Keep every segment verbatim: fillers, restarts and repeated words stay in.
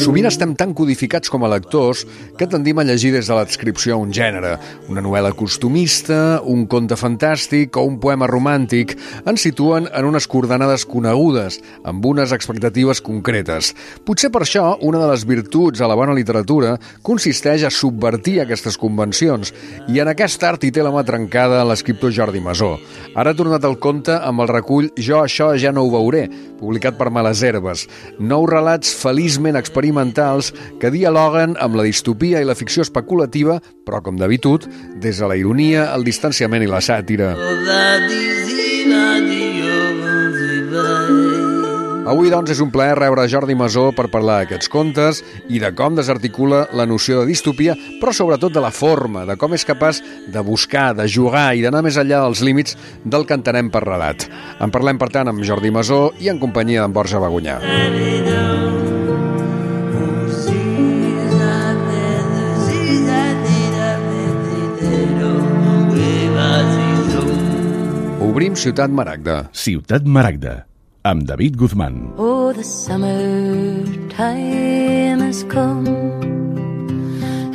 Sovint estem tan codificats com a lectors que tendim a llegir des de l'adscripció a un gènere. Una novel·la costumista, un conte fantàstic o un poema romàntic ens situen en unes coordenades conegudes, amb unes expectatives concretes. Potser per això una de les virtuts a la bona literatura consisteix a subvertir aquestes convencions, i en aquest art hi té la mà trencada l'escriptor Jordi Masó. Ara ha tornat al conte amb el recull Jo això ja no ho veuré, publicat per Males Herbes. Nou relats feliçment experimentals que dialoguen amb la distopia i la ficció especulativa, però, com d'habitud, des de la ironia, el distanciament i la sàtira. Avui, doncs, és un plaer rebre Jordi Masó per parlar d'aquests contes i de com desarticula la noció de distopia, però sobretot de la forma, de com és capaç de buscar, de jugar i d'anar més enllà dels límits del que entenem per relat. En parlem, per tant, amb Jordi Masó i en companyia d'en Borja Bagunyà. Obrim Ciutat Maragda. Ciutat Maragda, amb David Guzmán. Oh, the summer time has come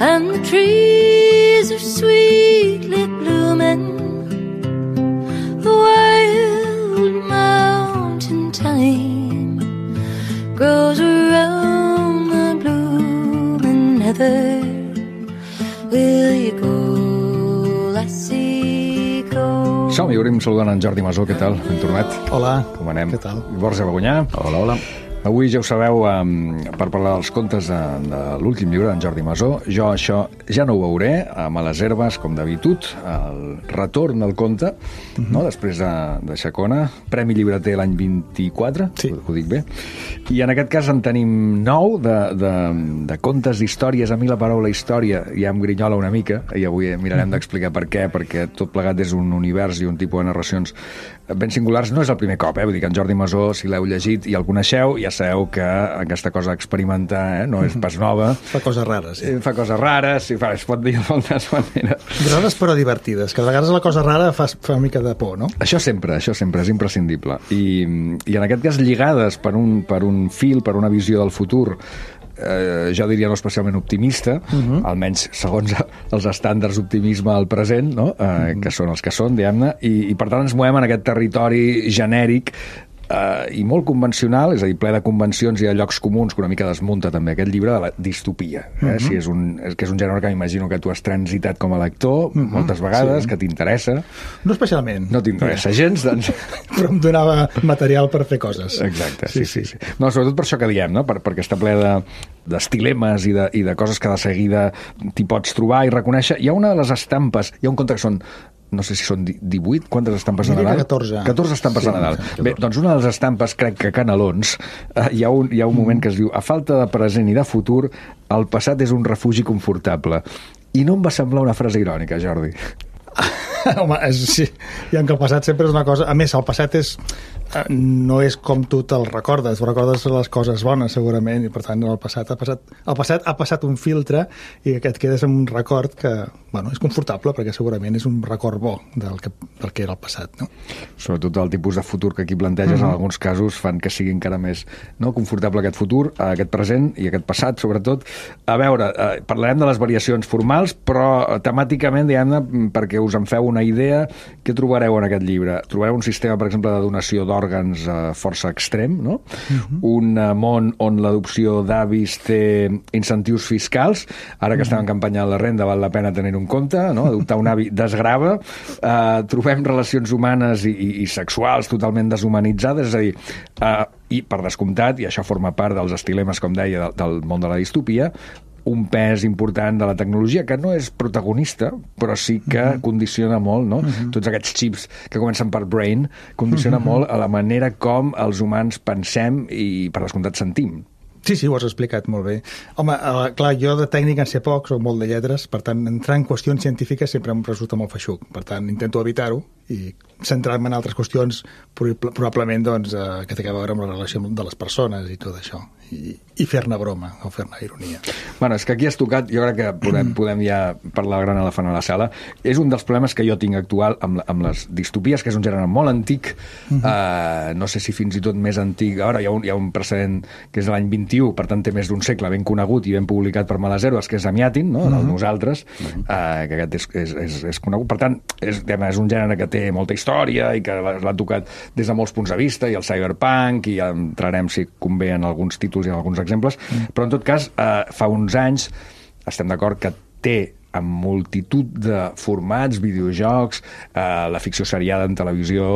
and the trees are sweetly blooming. The wild mountain thyme grows around the blooming heather. Will you go, lassie, go? Som-hi, obrim saludant en Jordi Masó. Què tal? Ben tornat. Hola. Com anem? Què tal? Borja Bagunyà. Hola, hola. Avui, ja ho sabeu, um, per parlar dels contes de, de l'últim llibre d'en Jordi Masó, Jo això ja no ho veuré, a Males Herbes, com d'habitud, el retorn del conte, uh-huh. no? Després de, de Xacona, Premi Llibreter l'any vint-i-quatre, sí. ho, ho dic bé, i en aquest cas en tenim nou de, de, de contes d'històries. A mi la paraula història ja em grinyola una mica, i avui mirarem uh-huh. d'explicar per què, perquè tot plegat és un univers i un tipus de narracions ben singulars. No és el primer cop, eh? Vull dir que en Jordi Masó, si l'heu llegit i el coneixeu, ja sabeu que aquesta cosa d'experimentar eh? no és pas nova. Fa coses rares, sí. Fa coses rares, sí, fa, es pot dir de moltes maneres. Rares però divertides, que a vegades la cosa rara fa, fa una mica de por, no? Això sempre, això sempre és imprescindible. I, i en aquest cas lligades per un, per un fil, per una visió del futur, eh, jo diria no especialment optimista, uh-huh. almenys segons els estàndards d'optimisme al present, no? eh, uh-huh. que són els que són, diguem-ne, i, i per tant ens movem en aquest territori genèric Uh, i molt convencional, és a dir, ple de convencions i de llocs comuns, que una mica desmunta també aquest llibre de la distopia, eh? Uh-huh. Si és un, és, que és un gènere que m'imagino que tu has transitat com a lector uh-huh. moltes vegades, sí. que t'interessa. No especialment. No t'interessa sí. gens, doncs... Però em donava material per fer coses. Exacte, sí, sí. sí, sí. No, sobretot per això que diem, no? per, perquè està ple de d'estilemes i de, i de coses que de seguida t'hi pots trobar i reconèixer. Hi ha una de les estampes, hi ha un conte que són no sé si són divuit, quantes estampes de Nadal? catorze. catorze estampes sí, de Nadal. Bé, doncs una de les estampes, crec que Canelons, eh, hi ha un, hi ha un moment que es diu: a falta de present i de futur, el passat és un refugi confortable. I no em va semblar una frase irònica, Jordi. Home, és, sí, i en que el passat sempre és una cosa... A més, el passat és, no és com tu te'l recordes, recordes les coses bones, segurament, i per tant el passat ha passat, el passat ha passat un filtre i que et quedes amb un record que, bueno, és confortable, perquè segurament és un record bo del que, del que era el passat, no? Sobretot el tipus de futur que aquí planteges, mm-hmm. en alguns casos fan que sigui encara més no, confortable aquest futur, aquest present i aquest passat, sobretot. A veure, eh, parlarem de les variacions formals, però temàticament, diguem-ne, perquè us en feu una idea, què trobareu en aquest llibre? Trobareu un sistema, per exemple, de donació d'òrgans eh, força extrem, no? Uh-huh. Un eh, món on l'adopció d'avis té incentius fiscals. Ara que uh-huh. estem en campanya de la renda, val la pena tenir un compte, no? Adoptar un avi desgrava. Eh, trobem relacions humanes i, i, i sexuals totalment deshumanitzades, és a dir, eh, i per descomptat, i això forma part dels estilemes, com deia, del, del món de la distopia, un pes important de la tecnologia, que no és protagonista, però sí que uh-huh. condiciona molt, no? Uh-huh. Tots aquests xips que comencen per brain, condiciona uh-huh. molt a la manera com els humans pensem i, per descomptat, sentim. Sí, sí, ho has explicat molt bé. Home, eh, clar, jo de tècnica en sé poc, soc molt de lletres, per tant, entrar en qüestions científiques sempre em resulta molt feixuc. Per tant, intento evitar-ho i centrar-me en altres qüestions, probablement, doncs, eh, que té a veure amb la relació de les persones i tot això. i, i fer-ne broma o fer-ne ironia. Bueno, és que aquí has tocat, jo crec que podem, podem ja parlar del gran elefant a la sala. És un dels problemes que jo tinc actual amb, amb les distopies, que és un gènere molt antic, uh-huh. uh, no sé si fins i tot més antic. Ara hi ha un, hi ha un precedent que és de l'any vint-i-u, per tant té més d'un segle, ben conegut i ben publicat per Males Herbes, que és Amiatin, no? Uh-huh. Nosaltres, uh-huh. uh, que aquest és, és, és, és conegut. Per tant, és, és un gènere que té molta història i que l'ha tocat des de molts punts de vista, i el cyberpunk, i ja entrarem, si convé, en alguns títols i en alguns exemples, mm. però en tot cas, eh, fa uns anys estem d'acord que té amb multitud de formats, videojocs, eh, la ficció seriada en televisió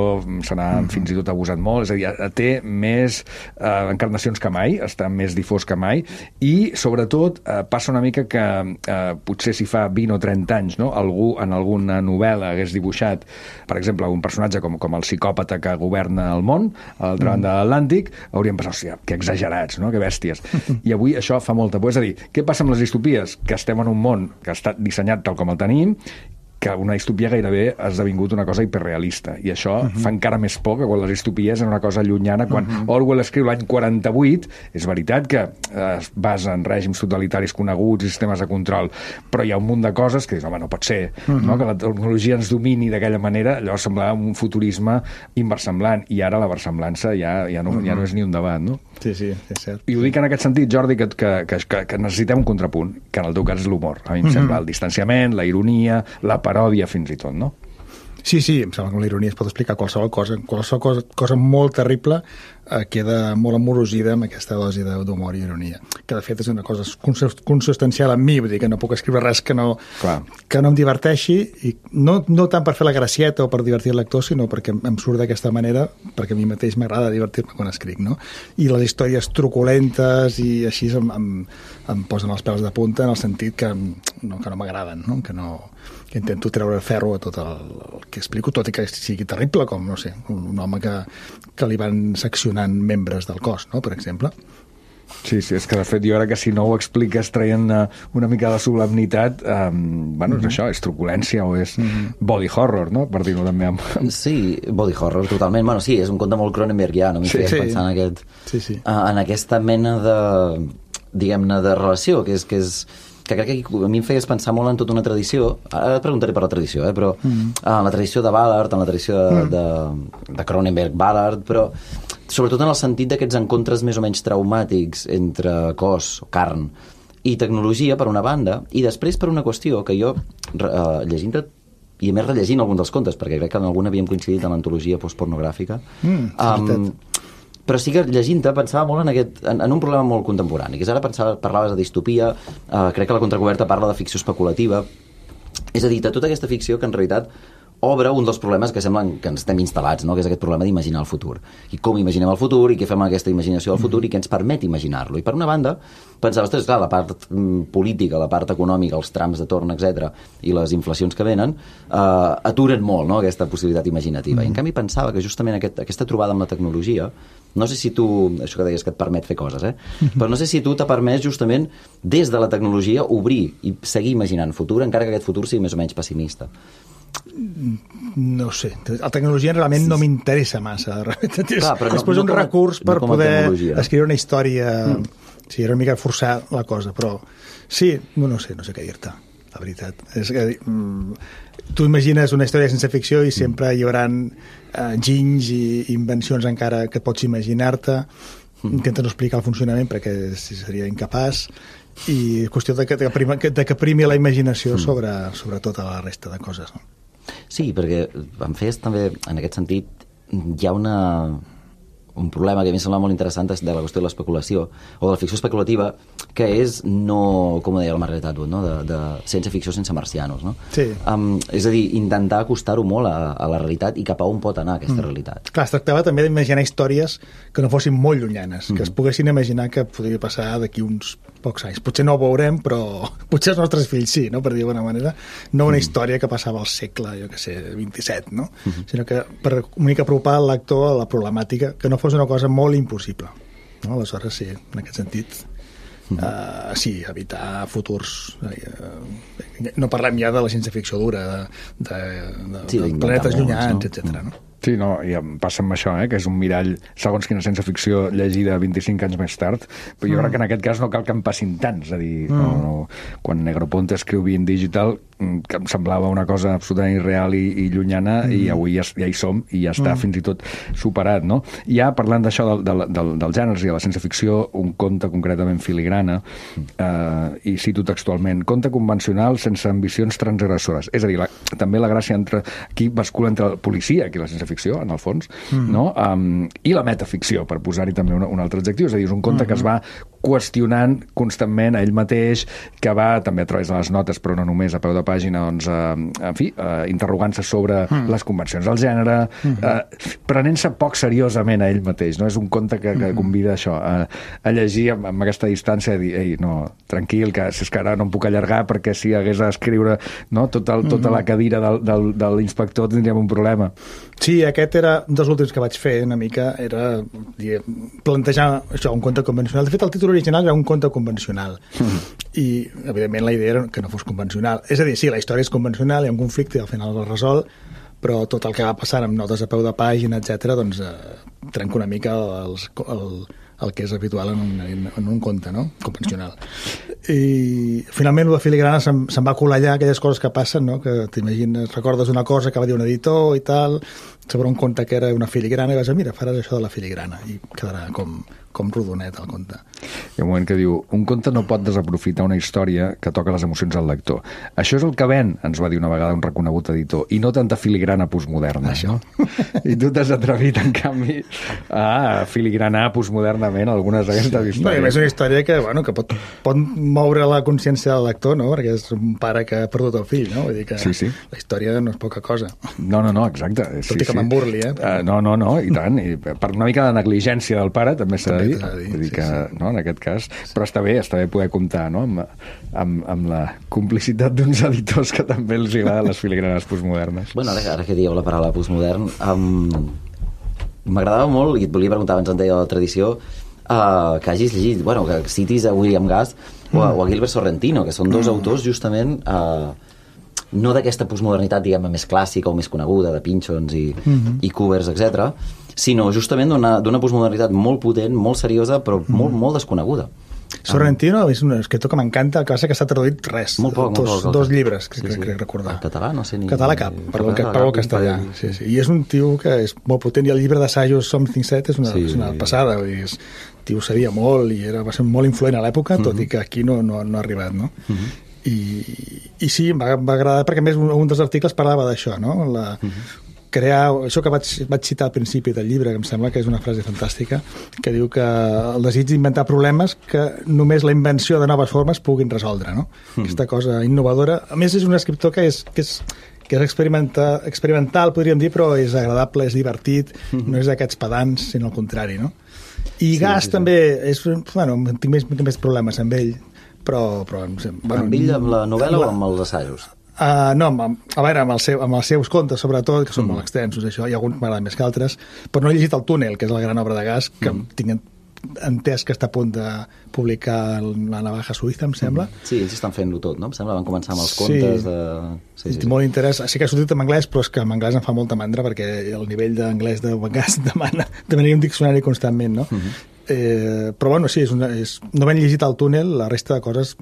se n'ha mm-hmm. fins i tot abusat molt, és a dir, té més eh, encarnacions que mai, està més difós que mai, i sobretot eh, passa una mica que eh, potser si fa vint o trenta anys, no? Algú en alguna novel·la hagués dibuixat, per exemple, un personatge com, com el psicòpata que governa el món, a l'altra banda de l'Atlàntic, hauríem pensat, hòstia, que exagerats, no? Que bèsties. I avui això fa molta por. És a dir, què passa amb les distopies? Que estem en un món que ha estat dissenyat tal com el tenim, que una distopia gairebé ha esdevingut una cosa hiperrealista, i això uh-huh. fa encara més por que quan les distopies eren una cosa llunyana. Quan uh-huh. Orwell escriu l'any quaranta-vuit, és veritat que es basa en règims totalitaris coneguts i sistemes de control, però hi ha un munt de coses que dius, home, no pot ser, uh-huh. no? Que la tecnologia ens domini d'aquella manera. Llavors semblava un futurisme inversemblant, i ara la versemblança ja, ja, no, uh-huh. ja no és ni un debat, no? Sí, sí, és cert. I ho dic en aquest sentit, Jordi, que, que, que, que necessitem un contrapunt, que en el teu cas és l'humor. A mi em uh-huh. sembla el distanciament, la ironia, la paròdia fins i tot, no? Sí, sí, em sembla que amb la ironia es pot explicar qualsevol cosa. Qualsevol cosa, cosa molt terrible eh, queda molt amorosida amb aquesta dosi d'humor i ironia, que de fet és una cosa consustancial en mi, vull dir que no puc escriure res que no, que no em diverteixi, i no, no tant per fer la gracieta o per divertir el lector, sinó perquè em surt d'aquesta manera, perquè a mi mateix m'agrada divertir-me quan escric, no? I les històries truculentes i així em, em, em posen els pèls de punta, en el sentit que no, que no m'agraden, no? Que no... que intento treure ferro a tot el, el que explico, tot i que sigui terrible, com, no sé, un, un home que, que li van seccionant membres del cos, no?, per exemple. Sí, sí, és que de fet jo crec que si no ho expliques traient uh, una mica de solemnitat, um, bueno, mm-hmm. és això, és truculència o és mm-hmm. body horror, no?, per dir-ho també amb... Sí, body horror, totalment. Bueno, sí, és un conte molt Cronenbergià, no m'hi sí, feies sí. pensar en, aquest, sí, sí. Uh, en aquesta mena de, diguem-ne, de relació, que és... Que és que crec que a mi em feies pensar molt en tota una tradició. Ara et preguntaré per la tradició, eh? Però mm. en la tradició de Ballard, en la tradició de, mm. de, de Cronenberg-Ballard, però sobretot en el sentit d'aquests encontres més o menys traumàtics entre cos, carn i tecnologia, per una banda, i després per una qüestió que jo, eh, llegint-te, i a més rellegint algun dels contes, perquè crec que en algun havíem coincidit en l'antologia postpornogràfica, mm, um, però sí que llegint-te pensava molt en, aquest, en, en un problema molt contemporani, que és ara pensava, parlaves de distopia, eh, crec que la contracoberta parla de ficció especulativa, és a dir, de tota aquesta ficció que en realitat obre un dels problemes que semblen que ens estem instal·lats, no? Que és aquest problema d'imaginar el futur. I com imaginem el futur, i què fem amb aquesta imaginació del futur, i què ens permet imaginar-lo. I per una banda, pensava, ostres, clar, la part mm, política, la part econòmica, els trams de torn, etcètera, i les inflacions que venen, eh, aturen molt, no?, aquesta possibilitat imaginativa. Mm. I en canvi pensava que justament aquest, aquesta trobada amb la tecnologia, no sé si tu, això que deies que et permet fer coses, eh? Però no sé si tu t'ha permès justament des de la tecnologia obrir i seguir imaginant futur, encara que aquest futur sigui més o menys pessimista. No sé, la tecnologia realment sí. no m'interessa massa. Clar, però és no, no un recurs per no poder escriure una història, mm. sí, era una mica forçar la cosa, però sí, no, no sé, no sé què dir-te, la veritat. És que, mm, tu imagines una història sense ficció i sempre hi haurà uh, ginys i invencions encara que pots imaginar-te, mm. intentes no explicar el funcionament perquè seria incapaç, i qüestió de que, de que, prima, de que primi la imaginació mm. sobre, sobre tota la resta de coses, no? Sí, perquè em feies també, en aquest sentit, hi ha una, un problema que a mi em sembla molt interessant de la qüestió de l'especulació, o de la ficció especulativa, que és no, com deia la Margaret Atwood, no? de, de sense ficció, sense marcianos. No? Sí. Um, és a dir, intentar acostar-ho molt a, a la realitat i cap a on pot anar aquesta mm. realitat. Clar, es tractava també d'imaginar històries que no fossin molt llunyanes, mm. que es poguessin imaginar que podria passar d'aquí uns pocs anys. Potser no ho veurem, però potser els nostres fills sí, no? Per dir d'alguna manera. No una mm. història que passava al segle, jo que sé, vint-i-set, no? Mm-hmm. Sinó que per una mica apropar el lector a la problemàtica, que no fos una cosa molt impossible. No? Aleshores, sí, en aquest sentit, mm-hmm. uh, sí, evitar futurs... Uh, no parlem ja de la ciència-ficció dura, de, de, de, sí, de planetes llunyans, etcètera. Mm. No? Sí, no, i em passa amb això, eh, que és un mirall, segons quina ciència-ficció llegida vint-i-cinc anys més tard, però jo mm. crec que en aquest cas no cal que en passin tants, és a dir, mm. no, no, quan Negroponte escriu Being Digital, que em semblava una cosa absolutament irreal i, i llunyana, mm. i avui ja, ja hi som, i ja està mm. fins i tot superat, no? Ja parlant d'això del, del, del, dels gèneres i de la ciència-ficció, un conte concretament filigrana, eh, i cito textualment, conte convencional sense ambicions transgressores. És a dir, la, també la gràcia entre, aquí bascula entre el policia i la ciència-ficció, en el fons, mm. no? Um, i la metaficció, per posar-hi també un, un altre adjectiu, és a dir, és un conte mm. que es va qüestionant constantment a ell mateix, que va, també a través de les notes, però no només a peu de pàgina, doncs, eh, en fi, eh, interrogant-se sobre mm. les convencions del gènere, mm -hmm. eh, prenent-se poc seriosament a ell mateix, no? És un conte que, que convida això, a, a llegir amb, amb aquesta distància i dir, ei, no, tranquil, que si és que ara no em puc allargar perquè si hagués a escriure, no, tot el, tota la cadira del, del, de l'inspector tindríem un problema. Sí, aquest era un dels últims que vaig fer, una mica, era plantejar això, un conte convencional. De fet, el títol original era un conte convencional. Mm. I, evidentment, la idea era que no fos convencional. És a dir, sí, la història és convencional, hi ha un conflicte i al final es resol, però tot el que va passant amb notes a peu de pàgina, etcètera, doncs eh, trenca una mica els, el, el que és habitual en un, en, en un conte, no? Convencional. I finalment la filigrana se'n, se'n va colar allà aquelles coses que passen, no? Que t'imagines, recordes una cosa que va dir un editor i tal, sobre un conte que era una filigrana i vas dir, mira, faràs això de la filigrana i quedarà com, com rodonet el conte. Hi ha un moment que diu, un conte no pot desaprofitar una història que toca les emocions al lector. Això és el que ven, ens va dir una vegada un reconegut editor, i no tanta filigrana postmoderna. Això. I tu t'has atrevit, en canvi, a filigranar postmodernament algunes d'aquestes històries. No, és una història que, bueno, que pot, pot moure la consciència del lector, no? Perquè és un pare que ha perdut el fill, no? Vull dir que sí, sí. La història no és poca cosa. No, no, no, exacte. Tot sí, i que sí. Me'n burli, eh? Uh, no, no, no, i tant. I per una mica de negligència del pare, també s'ha de dir. dir. Vull dir que, sí, sí. No, en aquest cas... Però està bé, està bé poder comptar, no?, amb, amb, amb la complicitat d'uns editors que també els agraden les filigranes postmodernes. Bueno, ara, ara que dieu la paraula postmodern, um, m'agradava molt, i et volia preguntar abans en deia la tradició, uh, que hagis llegit, bueno, que citis a William Gast mm. o, a, o a Gilbert Sorrentino, que són dos mm. autors justament... Uh, no d'aquesta postmodernitat, diguem-ne, més clàssica o més coneguda, de Pynchons i, mm-hmm. i Covers, etcètera, sinó justament d'una postmodernitat molt potent, molt seriosa, però mm. molt, molt desconeguda. Sorrentino és un escriptor que m'encanta, el que passa que s'ha traduït res. Molt poc, dos, molt poc. Dos llibres, crec, sí, sí. crec recordar. En català, no sé ni... Català cap, parlo el castellà. Sí, sí. I és un tio que és molt potent, i el llibre d'assajos Something Set és una, sí, és una passada. Vull dir, és, tio sabia molt i era, va ser molt influent a l'època, tot mm-hmm. i que aquí no, no, no ha arribat, no? Mm-hmm. I, i sí, em va, va agradar perquè a més un, un dels articles parlava d'això, no? La, uh-huh. crear, això que vaig, vaig citar al principi del llibre, que em sembla que és una frase fantàstica, que diu que el desig d'inventar problemes que només la invenció de noves formes puguin resoldre, no? Uh-huh. Aquesta cosa innovadora. A més és un escriptor que és, que és que és experimental, experimental, podríem dir, però és agradable, és divertit, uh-huh. no és d'aquests pedants, sinó al contrari, no? I sí, Gast sí, sí. també és, bueno, tinc més, tinc més problemes amb ell, però... però bueno, amb ell, amb la novel·la amb la... o amb els assajos? Uh, no, amb, a veure, amb, el seu, amb els seus contes, sobretot, que són mm. molt extensos, això, hi ha alguns que m'agraden més que altres, però no he llegit El túnel, que és la gran obra de Gast, que mm. tinc entès que està a punt de publicar La navaja suïssa, em sembla. Sí, ells estan fent-ho tot, no? Em sembla van començar amb els contes sí. de... Sí, sí. Molt interès. Sí que ha sortit en anglès, però és que en anglès em fa molta mandra perquè el nivell d'anglès de Gast demana demanaria un diccionari constantment, no? Mm-hmm. Eh, però bueno, sí, és una, és, no ben llegit El túnel, la resta de coses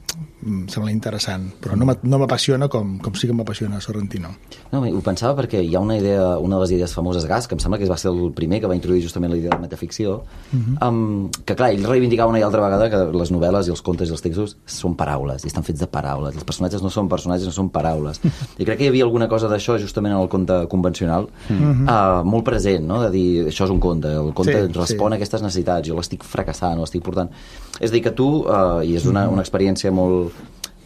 em sembla interessant, però no m'apassiona com, com sí que m'apassiona Sorrentino. No, ho pensava perquè hi ha una idea, una de les idees famoses Gast, que em sembla que va ser el primer que va introduir justament la idea de metaficció, uh-huh. um, que clar, ell reivindicava una i altra vegada que les novel·les i els contes i els textos són paraules, i estan fets de paraules, els personatges no són personatges, no són paraules. I crec que hi havia alguna cosa d'això justament en el conte convencional, uh-huh. uh, molt present, no? De dir, això és un conte, el conte sí, respon sí. a aquestes necessitats, jo l'estic fracassant, l'estic portant... És a dir, que tu, uh, i és una, una experiència molt,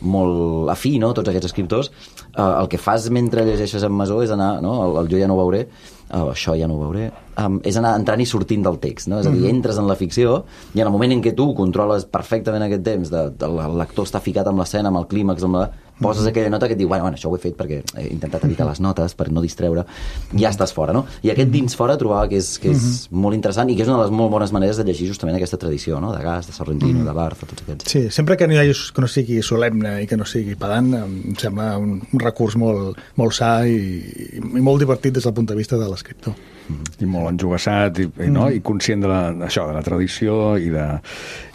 molt afí, no?, tots aquests escriptors, uh, el que fas mentre llegeixes en Masó és anar, no?, el, el jo ja no ho veuré, uh, això ja no ho veuré, um, és anar entrant i sortint del text, no? És a dir, entres en la ficció i en el moment en què tu controles perfectament aquest temps, de, de, el lector està ficat amb l'escena, amb el clímax, amb la... poses aquella nota que et diu, bueno, bueno, això ho he fet perquè he intentat evitar les notes per no distreure, ja estàs fora, no? I aquest dins fora trobava que és, que és mm-hmm. molt interessant i que és una de les molt bones maneres de llegir justament aquesta tradició, no? De Gas, de Sorrentino, mm-hmm. de Barth, tots aquests. Sí, sempre que no, hi hagi, que no sigui solemne i que no sigui pedant, em sembla un, un recurs molt, molt sa i, i molt divertit des del punt de vista de l'escriptor. I molt enjugassat i, i, no? I conscient de la, això, de la tradició i de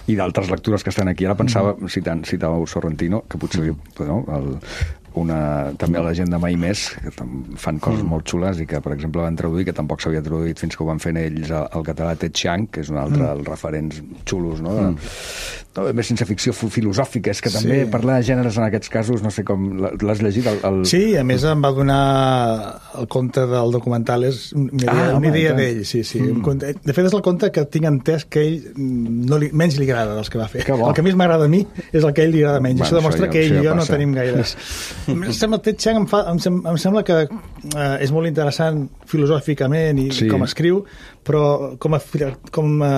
i d'altres lectures que estan aquí. Ara pensava, mm. citant, citàveu Sorrentino, que potser no, el, una, també la gent de Mai Més, que fan coses mm. molt xules i que, per exemple, van traduir, que tampoc s'havia traduït fins que ho van fer ells al català, Ted Chiang, que és un altre mm. dels referents xulos, no? Mm. no més sense ficció filosòfica, és que també sí. parlar de gèneres en aquests casos, no sé com... L'has llegit? El, el... Sí, a més em va donar el conte del documental, és una idea, ah, una idea d'ell, sí, sí. Mm. De fet, és el conte que tinc entès que ell no li, menys li agrada dels que va fer. Que el que més m'agrada a mi és el que a ell li agrada menys. Bueno, això demostra això ja, que ell i jo passa. No tenim gaires... Em sembla, Ted Chiang em, fa, em, sem, em sembla que eh, és molt interessant filosòficament i sí. com escriu, però com a, com a,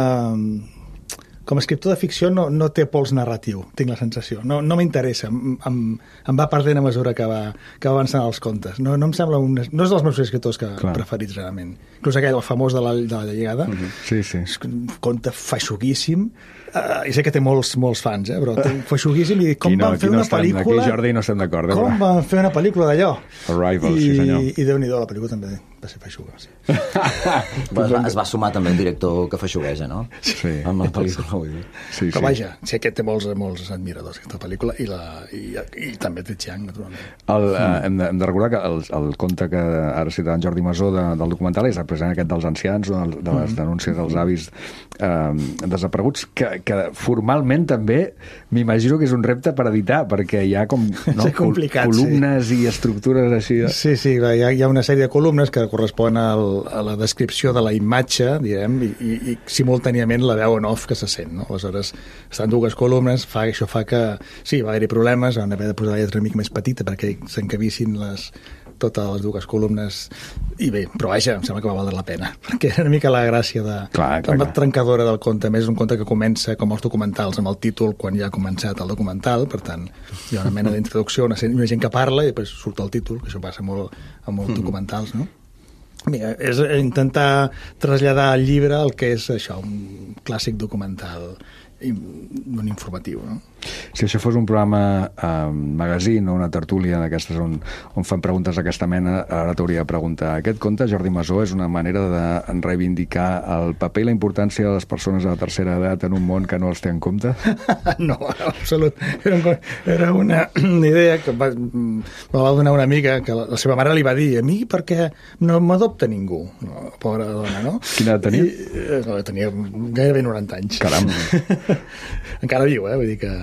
com a escriptor de ficció no, no té pols narratiu, tinc la sensació. No, no m'interessa, em, em, em va perdent a mesura que va, que va avançant els contes. No, no em sembla un, no és dels meus escriptors que Clar. preferits realment. Inclús aquell, el famós de la, de la llegada, uh-huh. sí, sí. és un conte feixuguíssim. Uh, i sé que té molts, molts fans, eh, però té feixuguíssim i com no, van fer no una estem, pel·lícula... Aquí, Jordi, no estem d'acord. Com però... van fer una pel·lícula d'allò? Arrival, I, sí senyor. I Déu-n'hi-do, la pel·lícula també va ser feixuga, sí. Va, es, va, es va sumar també un director que feixugueja, no? Sí. Amb la pel·lícula, vull dir. Sí, però sí. vaja, sé que té molts, molts admiradors, aquesta pel·lícula, i, la, i, i també té Chiang, naturalment. El, mm. uh, hem, de, hem de recordar que el, el conte que ara citava en Jordi Masó de, del documental és precisament aquest dels ancians, de, de les denúncies dels avis eh, desapareguts, que, que formalment també m'imagino que és un repte per editar, perquè hi ha com no, columnes sí. i estructures així. De... Sí, sí, hi ha, hi ha una sèrie de columnes que correspon al, a la descripció de la imatge, direm, i, i, i simultàniament la veu en off que se sent, no? Aleshores, estan dues columnes, fa, això fa que... Sí, va haver-hi problemes, van haver de posar la lletra una mica més petita perquè s'encabissin les totes les dues columnes, i bé, però vaja, em sembla que va valdre la pena, perquè era una mica la gràcia de, clar, clar, de la clar. trencadora del conte. A més, és un conte que comença, com els documentals, amb el títol quan ja ha començat el documental, per tant, hi ha una mena d'introducció, una, una gent que parla, i després surt el títol, que això passa molt amb molts mm. documentals, no? Mira, és intentar traslladar al llibre el que és això, un clàssic documental, un informatiu, no? Si això fos un programa eh, magazine o una tertúlia d'aquestes on, on fan preguntes d'aquesta mena, ara t'hauria de preguntar, aquest conte, Jordi Masó, és una manera de reivindicar el paper i la importància de les persones de la tercera edat en un món que no els té en compte? No, en absolut. Era, un, era una idea que va, me va donar una amiga que la, la seva mare li va dir, a mi perquè no m'adopta ningú, no, pobra dona, no? Quina edat tenia? I, no, tenia gairebé noranta anys. Caram! Encara viu, eh? Vull dir que...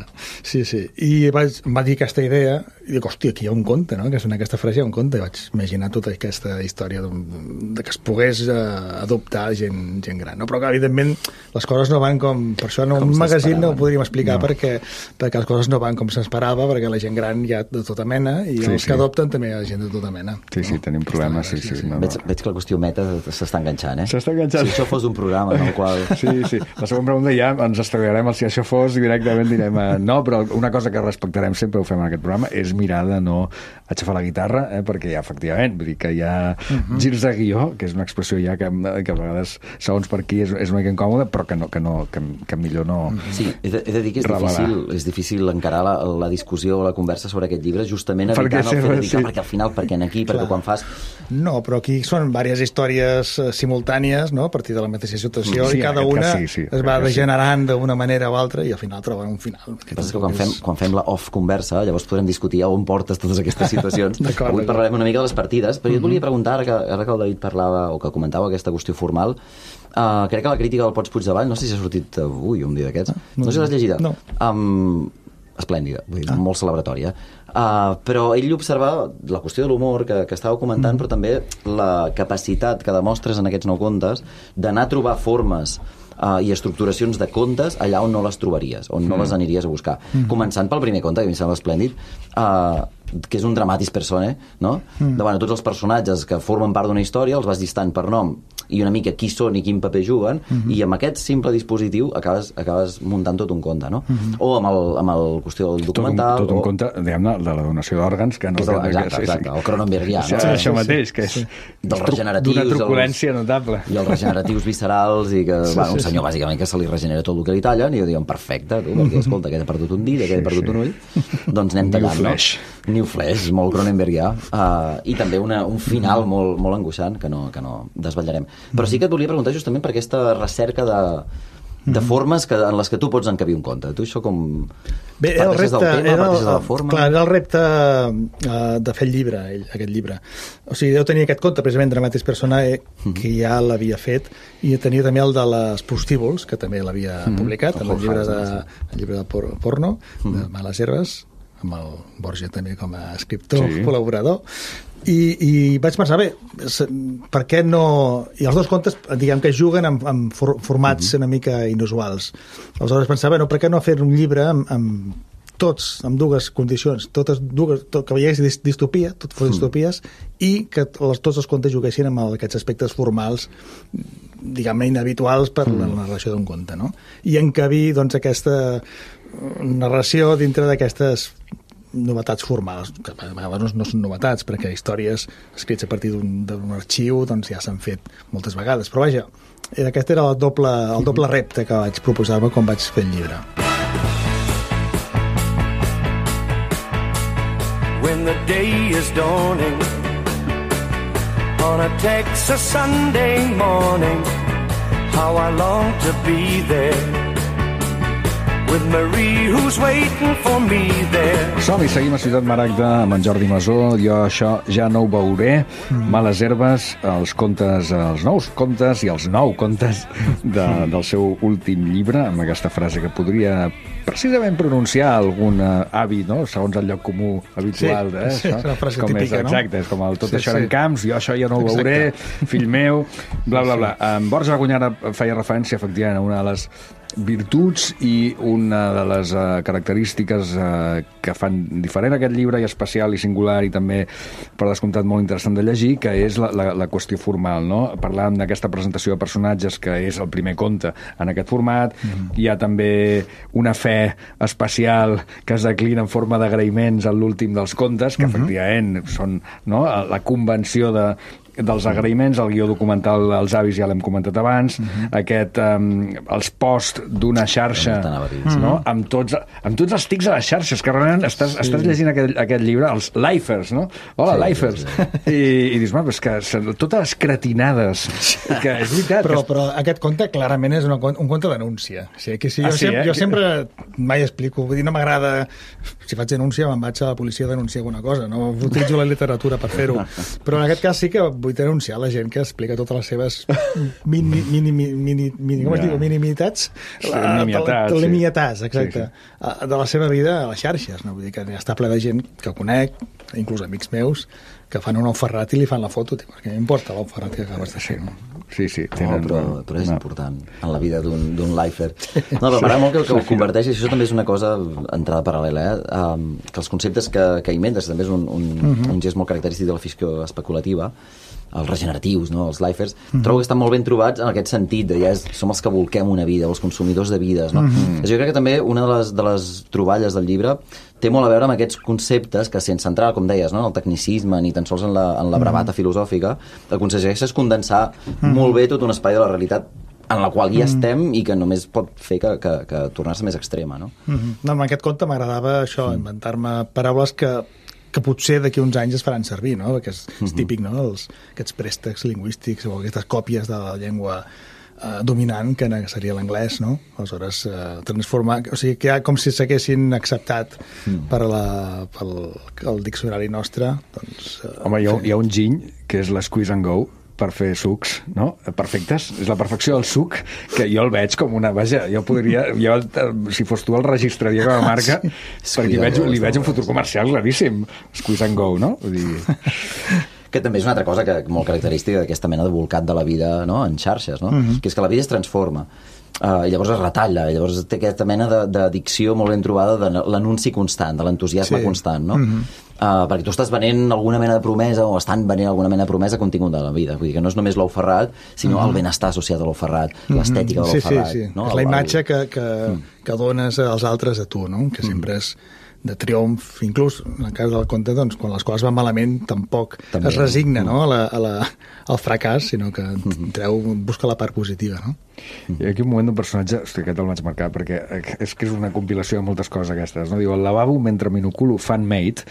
Sí, sí. I vaig, em va dir aquesta idea i dic, hòstia, aquí hi ha un conte, no? Que en aquesta frase hi ha un conte. I vaig imaginar tota aquesta història de, de que es pogués eh, adoptar gent, gent gran, no? Però que, evidentment, les coses no van com... Per això en un magazín no ho podríem explicar, no. perquè, perquè les coses no van com s'esperava, perquè la gent gran hi ha de tota mena i sí, els sí. que adopten també hi ha gent de tota mena. Sí, sí, no? Tenim problemes, sí, sí. sí, sí. No, no. Veig, veig que la qüestió meta s'està enganxant, eh? S'està enganxant. Si això fos un programa en el qual... Sí, sí. La següent pregunta ja ens estalviarem el si això fos i directament direm eh, no, però una cosa que respectarem sempre, ho fem en aquest programa, és mirar de no aixafar la guitarra, eh, perquè ja, efectivament, vull dir que hi ha uh-huh. girs de guió, que és una expressió ja que, que a vegades, segons per qui, és, és una mica incòmoda, però que, no, que, no, que, que millor no... Sí, he de, he de dir que és difícil, és difícil encarar la, la discussió o la conversa sobre aquest llibre, justament evitant el fet de dir, sí. perquè al final, perquè en aquí, perquè quan fas... No, però aquí són diverses històries simultànies, no?, a partir de la mateixa situació, sí, i cada una sí, sí, es va degenerant sí. d'una manera o altra i al final troben un final. El que passa és que quan fem, quan fem la off conversa, llavors podrem discutir a on portes totes aquestes situacions. Avui parlarem una mica de les partides, però jo et volia preguntar, ara que, ara que el David parlava o que comentava aquesta qüestió formal, uh, crec que la crítica del Pots Puigdevall, no sé si ha sortit avui, un dia d'aquests, no, no sé si l'has llegida. No. Um, esplèndida, vull dir, ah. molt celebratòria. Uh, però ell observava la qüestió de l'humor que, que estàveu comentant, mm. però també la capacitat que demostres en aquests nou contes d'anar a trobar formes Uh, i estructuracions de contes allà on no les trobaries, on mm. no les aniries a buscar. Mm. Començant pel primer conte, que a mi em sembla esplèndid, uh, que és un dramatis personae, no? Mm. De, bueno, tots els personatges que formen part d'una història els vas llistant per nom i una mica qui són i quin paper juguen, uh-huh. i amb aquest simple dispositiu acabes, acabes muntant tot un conte, no? Uh-huh. O amb el, amb el qüestió del documental... Tot un, tot un o... conte, diguem-ne, de la donació d'òrgans, que no... Tot, que, exacte, que, exacte, el Cronenbergià, no? Sí, sí, això mateix, que és dels regeneratius... D'una truculència els, notable. I els regeneratius viscerals, i que, sí, bueno, un sí, senyor, sí. bàsicament, que se li regenera tot el que li tallen, i jo diuen, perfecte, tu, perquè, escolta, aquest ha perdut un dit, aquest ha perdut un ull, doncs anem tallant, New Flash. no? New Flash, molt Cronenbergià. Uh, I també una, un final molt, molt angoixant, que no, que no desvetllarem. Però sí que et volia preguntar justament per aquesta recerca de, de formes que, en les que tu pots encabir un conte. Tu això com... Bé, era el repte, del tema, era el, de la forma... Clar, era el repte uh, de fer el llibre, ell, aquest llibre. O sigui, jo tenia aquest conte, precisament, Dramatis Personae, que ja l'havia fet, i tenia també el de les prostíbuls, que també l'havia mm-hmm. publicat, el, el, llibre de, el llibre de por, porno, mm-hmm. de Males Herbes, amb el Borja també com a escriptor, sí. col·laborador, i, i vaig pensar, bé, per què no... I els dos contes, diguem que juguen amb, amb for, formats mm-hmm. una mica inusuals. Aleshores pensava, no, per què no fer un llibre amb, amb tots, amb dues condicions, totes dues, tot, que veiés distopia, tot fos mm. distopies, i que les, tots els contes juguessin amb aquests aspectes formals, diguem-ne, inhabituals per mm. la narració d'un conte, no? I encabir, doncs, aquesta narració dintre d'aquestes novetats formals, que a vegades no són novetats, perquè històries escrits a partir d'un arxiu doncs ja s'han fet moltes vegades, però vaja, era, aquest era el doble, el doble repte que vaig proposar-me quan vaig fer el llibre. When the day is dawning on a Texas Sunday morning, how I long to be there with Marie who's waiting for me there. Som-hi, seguim a Ciutat Maragda amb en Jordi Masó. Jo això ja no ho veuré. Mm. Males Herbes, els contes, els nous contes i els nou contes de, del seu últim llibre, amb aquesta frase que podria precisament pronunciar algun avi, no? Segons el lloc comú habitual. Sí, eh? sí, és una frase com típica, és, no? Exacte, és com el tot sí, això sí. en camps, jo això ja no ho veuré, exacte. Fill meu, bla, bla, bla. En Borja Gunyara feia referència, efectivament, a una de les virtuts i una de les uh, característiques uh, que fan diferent aquest llibre, i especial i singular, i també, per descomptat, molt interessant de llegir, que és la, la, la qüestió formal, no? Parlàvem d'aquesta presentació de personatges, que és el primer conte en aquest format. Mm. Hi ha també una fe especial que es declina en forma d'agraïments en l'últim dels contes, que, mm-hmm. efectivament, són, no?, la convenció de dels agraïments, el guió documental Els avis ja l'hem comentat abans, uh-huh. aquest, um, els posts d'una xarxa, uh-huh. no? amb, tots, amb tots els tics a les xarxes, que realment estàs, sí. estàs llegint aquest, aquest llibre, els lifers, no? Hola, sí, lifers! Sí, sí. I, i dius, és que totes les cretinades, que és veritat. Però, que... però aquest conte clarament és una, un conte d'anúncia. O sigui, que si jo, ah, sí, sempre, eh? jo sempre mai explico, vull dir, no m'agrada, si faig denúncia me'n vaig a la policia a denunciar alguna cosa, no utilitzo la literatura per fer-ho. Però en aquest cas sí que vull denunciar la gent que explica totes les seves mini, mini, mini, mini, com es diu? Minimitats? Sí, nimietats, sí. Nimietats, exacte. Sí, sí. De la seva vida a les xarxes, no? Vull dir que està ple de gent que conec, inclús amics meus, que fan un Ferrat i li fan la foto, tio, perquè m'importa l'Ferrat que acabes de fer. Sí, sí. Tenen... No, però, però és no. important en la vida d'un lifer. No, però m'agrada molt que, que ho converteix, i això també és una cosa, entrada paral·lela, eh? Um, que els conceptes que, que inventes també és un, un, uh-huh. un gest molt característic de la ficció especulativa, els regeneratius, no? Els lifers, mm-hmm. trobo que estan molt ben trobats en aquest sentit de ja és, som els que volquem una vida, els consumidors de vides, no? Mm-hmm. Jo crec que també una de les, de les troballes del llibre té molt a veure amb aquests conceptes que, sense entrar, com deies, no? En el tecnicisme ni tan sols en la, en la bravata mm-hmm. filosòfica, aconsegueixes condensar mm-hmm. molt bé tot un espai de la realitat en la qual ja estem i que només pot fer que, que, que tornar-se més extrema, no? Mm-hmm. No, en aquest conte m'agradava això, mm. inventar-me paraules que que potser d'aquí uns anys es faran servir, no? Perquè és, és típic, no? Els, aquests préstecs lingüístics o aquestes còpies de la llengua eh, dominant, que seria l'anglès, no? Aleshores, eh, transformar... O sigui, que ja com si s'haguessin acceptat mm. per la, pel el diccionari nostre, doncs... Eh, Home, hi ha, hi ha un giny, que és l'Squeeze and Go, per fer sucs, no? Perfectes. És la perfecció del suc, que jo el veig com una... Vaja, jo podria... Jo, si fos tu, el registraria com a marca, sí. perquè veig, li veig un futur comercial claríssim. Squeeze and Go, no? Vull dir... Que també és una altra cosa que molt característica d'aquesta mena de volcat de la vida, no? En xarxes, no? Uh-huh. Que és que la vida es transforma. Uh, llavors es retalla, llavors té aquesta mena d'addicció molt ben trobada de l'anunci constant, de l'entusiasme sí. constant, no? Uh-huh. Uh, perquè tu estàs venent alguna mena de promesa o estan venent alguna mena de promesa contingut de la vida, vull dir que no és només l'ou ferrat sinó mm-hmm. el benestar associat a l'ou ferrat, mm-hmm. l'estètica de l'ou sí, ferrat, sí, sí. no? És la el, imatge el... que, que, mm. que dones als altres a tu, no? Que sempre és de triomf, inclús en el cas del conte, doncs, quan les coses van malament tampoc També. es resigna no? a la, a la, al fracàs, sinó que mm-hmm. treu, busca la part positiva, no? Hi ha aquí un moment d'un personatge, hosti, aquest el vaig marcar, perquè és que és una compilació de moltes coses aquestes, no? Diu, al lavabo, mentre m'inoculo fan-made,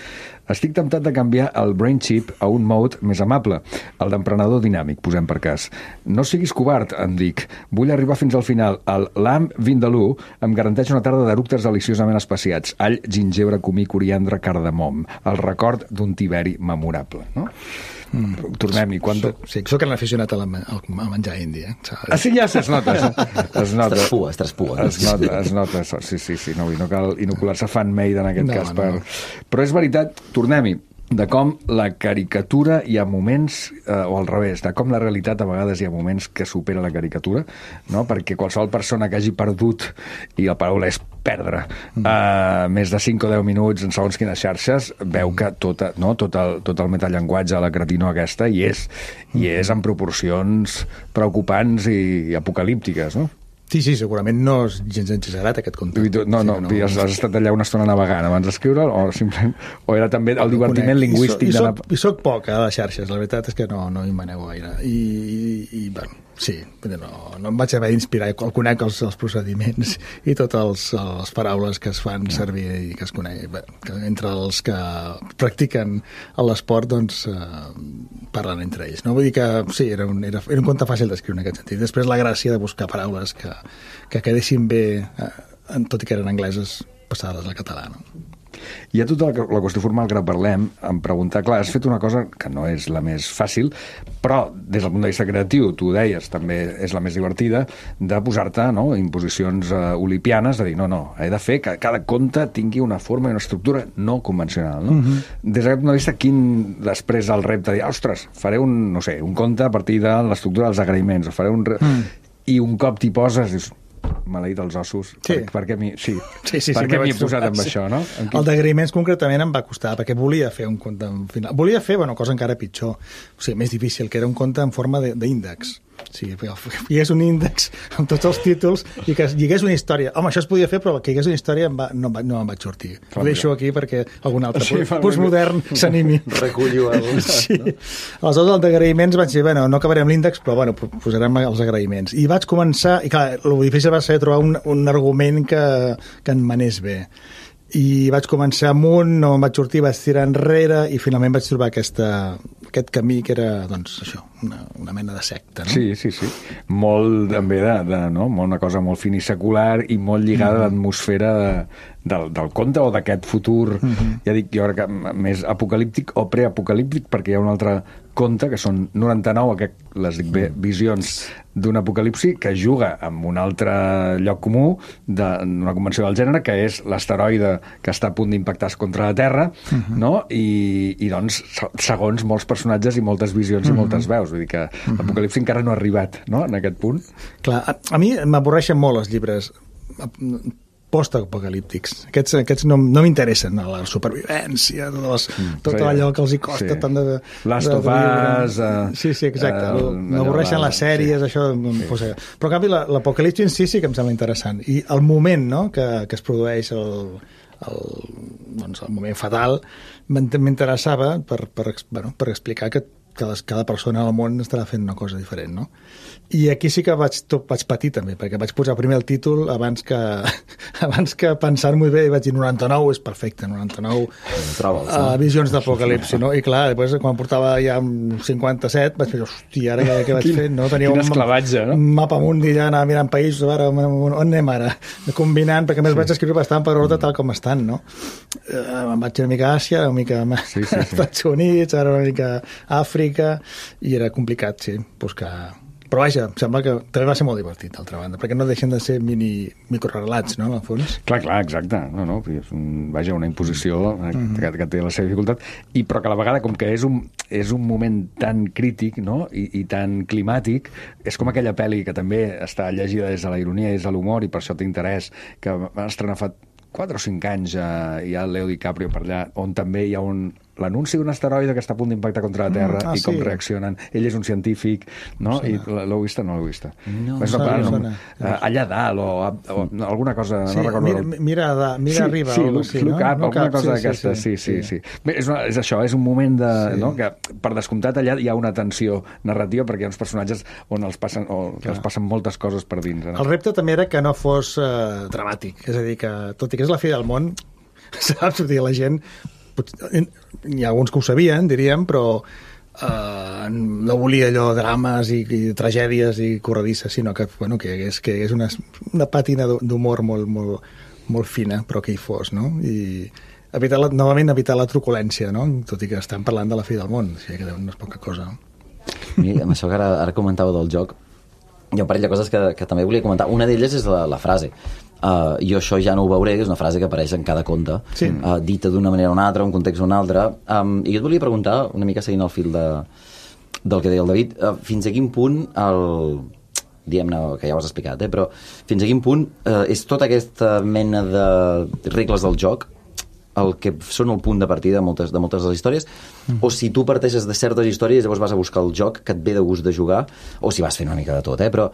estic temptat de canviar el brain chip a un mode més amable, el d'emprenedor dinàmic, posem per cas. No siguis covard, em dic. Vull arribar fins al final. El lamb vindalú em garanteix una tarda d'eructes deliciosament especiats. All, gingebre, comí, coriandre, cardamom. El record d'un tiberi memorable, no? Mm. Tornem-hi. Quan... Sí, soc un aficionat a, la, a menjar indi, eh? Ah, sí, ja es nota. Es nota. Es traspua, es traspua. Es nota, es nota. Sí, sí, sí. No, no cal inocular-se fan-made en aquest no, cas. No. Per... Però és veritat, tornem-hi, de com la caricatura hi ha moments, eh, o al revés, de com la realitat a vegades hi ha moments que supera la caricatura, no? Perquè qualsevol persona que hagi perdut, i la paraula és perdre, mm. eh, més de cinc o deu minuts en segons quines xarxes, veu que tota, no? tot, el, tot el metallenguatge, la cretinó aquesta, hi és, i és en proporcions preocupants i, i apocalíptiques, no? Sí, sí, segurament no és gens exagerat aquest conte. No, no, sí, no, has, has estat allà una estona navegant abans d'escriure'l o simplement o era també el divertiment lingüístic I, so, i, soc, de la... I soc poc a les xarxes, la veritat és que no, no hi manego gaire. I, i, i bueno, sí, no, no em vaig haver d'inspirar, el conec els, els procediments i totes les paraules que es fan servir i que es coneix, que entre els que practiquen l'esport doncs eh, parlen entre ells, no? Vull dir que sí, era un, era, era un conte fàcil d'escriure en aquest sentit. Després la gràcia de buscar paraules que, que quedessin bé, eh, tot i que eren angleses passades al català, no? Hi ha tota la, la qüestió formal que ara parlem, em preguntar, clar, has fet una cosa que no és la més fàcil, però des del punt de vista creatiu, tu ho deies, també és la més divertida, de posar-te, no?, imposicions uh, olipianes, de dir, no, no, he de fer que cada conte tingui una forma i una estructura no convencional, no? Uh-huh. Des d'aquest punt de vista, quin després el repte de dir, ostres, faré un, no sé, un conte a partir de l'estructura dels agraïments, o faré un... Re... Mm. I un cop t'hi poses, dius, maleït els ossos, sí. per, per què m'hi sí. sí, sí, per sí, què m'hi he trobar, posat amb sí. això, no? Quin... El d'agraïments concretament em va costar, perquè volia fer un conte en final. Volia fer, bueno, cosa encara pitjor, o sigui, més difícil, que era un conte en forma d'índex. Sí, que hi hagués un índex amb tots els títols i que hi hagués una història. Home, això es podia fer, però que hi hagués una història em va, no, no em vaig sortir. Clar, ho deixo aquí perquè algun altre sí, postmodern s'animi. Recullo el... Sí. No? Aleshores, el d'agraïments vaig dir, bueno, no acabarem l'índex, però bueno, posarem els agraïments. I vaig començar, i clar, el difícil va ser trobar un, un argument que, que en manés bé. I vaig començar amunt, no em vaig sortir, vaig tirar enrere i finalment vaig trobar aquesta, aquest camí que era, doncs, això, una, una mena de secta, no? Sí, sí, sí. Molt, també, de, de, no? Una cosa molt finisecular i molt lligada mm-hmm. a l'atmosfera de, del, del conte o d'aquest futur, mm-hmm. ja dic, jo crec que més apocalíptic o preapocalíptic, perquè hi ha un altre conte, que són noranta-nou, que les dic bé, visions d'un apocalipsi, que juga amb un altre lloc comú d'una convenció del gènere, que és l'asteroide que està a punt d'impactar contra la Terra, uh-huh. no? I, i doncs, segons molts personatges i moltes visions uh-huh. i moltes veus. Vull dir que uh-huh. l'apocalipsi encara no ha arribat, no?, en aquest punt. Clar, a, a mi m'avorreixen molt els llibres post-apocalíptics. Aquests, aquests no, no m'interessen, la supervivència, tot, les, mm, tot sí, allò que els hi costa sí. tant de... Last of Us... Uh, sí, sí, exacte. Uh, M'avorreixen les sèries, sí. això... Sí. Pues, però, en canvi, l'apocalipsi en si sí que em sembla interessant. I el moment, no?, que, que es produeix el, el, doncs, el moment fatal m'interessava per, per, bueno, per explicar que cada, cada persona al món estarà fent una cosa diferent, no? I aquí sí que vaig, tot, vaig patir també, perquè vaig posar primer el títol abans que, abans que pensar-m'ho bé i vaig dir noranta-nou, és perfecte, noranta-nou Trobes, no? uh, visions d'apocalipsi, no? I clar, després quan portava ja cinquanta-set vaig dir, hòstia, ara què, què vaig fer? No? Tenia quin esclavatge, no? Un mapa mundi, ja anar mirant països, ara, on anem ara? Combinant, perquè a més sí. vaig escriure bastant per ordre tal com estan, no? Uh, em vaig una mica a Àsia, una mica a sí, sí, sí. Estats Units, ara una mica a Àfrica, i era complicat, sí, buscar... Però vaja, em sembla que també va ser molt divertit, d'altra banda, perquè no deixen de ser mini microrelats, no, en el fons? Clar, clar, exacte. No, no, és un, vaja, una imposició mm-hmm. que, que té la seva dificultat, i però que a la vegada, com que és un, és un moment tan crític, no?, i, i tan climàtic, és com aquella pel·li que també està llegida des de la ironia i des de l'humor, i per això té interès, que va estrenar fa quatre o cinc anys eh, hi ha el Leo DiCaprio per allà, on també hi ha un l'anunci d'un asteroide que està a punt d'impactar contra la Terra mm, ah, i com sí. reaccionen. Ell és un científic, no? I l'heu vista? No l'heu vista. No, és no, no, no, no, no. Allà dalt o, o alguna cosa, sí, no recordo. Mira, mira, da, mira sí, arriba. Sí, look, sí, no? look up, no alguna cap, cosa sí, d'aquesta. Sí, sí, sí. sí. sí. Bé, és, una, és això, és un moment de, sí. no? que per descomptat allà hi ha una tensió narrativa perquè hi ha uns personatges on els passen, o que els passen moltes coses per dins. No? El repte també era que no fos uh, dramàtic, és a dir, que tot i que és la fi del món, saps? La gent hi ha alguns que ho sabien, diríem, però eh, no volia allò drames i, i tragèdies i corredisses, sinó que, bueno, que és, que és una, una pàtina d'humor molt, molt, molt fina, però que hi fos, no? I evitar la, novament evitar la truculència, no? Tot i que estem parlant de la fi del món, o sigui que no és poca cosa. I amb això que ara, ara comentava del joc, hi ha un parell de coses que, que també volia comentar. Una d'elles és la, la frase. Uh, jo això ja no ho veuré, que és una frase que apareix en cada conte, sí. uh, dita d'una manera o una altra, un context o un altre. Um, I jo et volia preguntar, una mica seguint el fil de, del que deia el David, uh, fins a quin punt el... diguem-ne, que ja ho has explicat, eh? Però fins a quin punt uh, és tota aquesta mena de regles del joc el que són el punt de partida de moltes de, moltes de les històries, mm. o si tu parteixes de certes històries i llavors vas a buscar el joc que et ve de gust de jugar, o si vas fent una mica de tot, eh? Però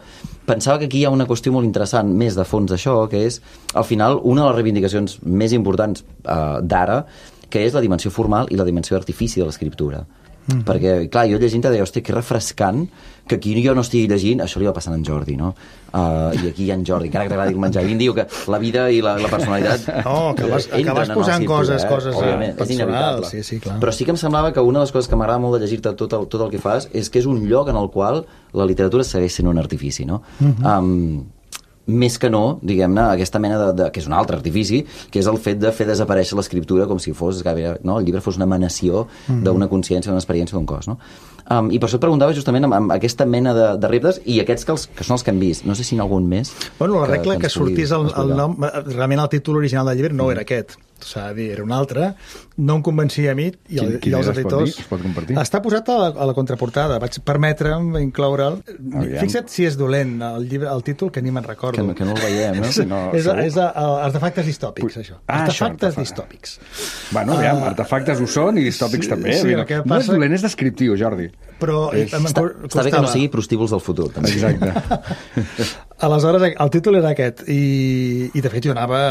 pensava que aquí hi ha una qüestió molt interessant, més de fons d'això, que és, al final, una de les reivindicacions més importants uh, d'ara, que és la dimensió formal i la dimensió artifici de l'escriptura. Mm-hmm. Perquè, clar, jo llegint-te deia, hòstia, que refrescant que aquí jo no estigui llegint, això li va passant a en Jordi, no? Uh, I aquí hi ha en Jordi, encara que t'agradi el menjar. I em diu que la vida i la, la personalitat... No, acabes, acabes posant coses, eh? coses Òbviament, és inevitable. Sí, sí, clar. Però sí que em semblava que una de les coses que m'agrada molt de llegir-te tot el, tot el que fas és que és un lloc en el qual la literatura segueix sent un artifici, no? Mm-hmm. Um, més que no, diguem-ne, aquesta mena de, de... que és un altre artifici, que és el fet de fer desaparèixer l'escriptura com si fos, no? El llibre fos una emanació mm-hmm. d'una consciència, d'una experiència, d'un cos, no? Um, I per això et preguntava justament amb, amb aquesta mena de, de reptes i aquests que, els, que són els que hem vist. No sé si n'hi ha algun més. Bueno, la regla que, que, que sortís el, el nom... Realment el títol original del llibre no mm. era aquest. S'ha de dir, era un altre. No em convencia a mi i, el, quin, quin i els editors. Es pot compartir? Està posat a la, a la contraportada. Vaig permetre'm incloure'l. Fixa't si és dolent el, llibre, el títol, que ni me'n recordo. Que, que no el veiem, no? Si no és és a, a, artefactes distòpics, Ui. això. Ah, artefactes això, distòpics. Bueno, aviam, uh, artefactes ho són i distòpics sí, també. Sí, no, no passa... és dolent, és descriptiu, Jordi. Però és... està, està bé que no sigui prostíbuls del futur, també. Exacte. Aleshores, el títol era aquest i, i de fet jo anava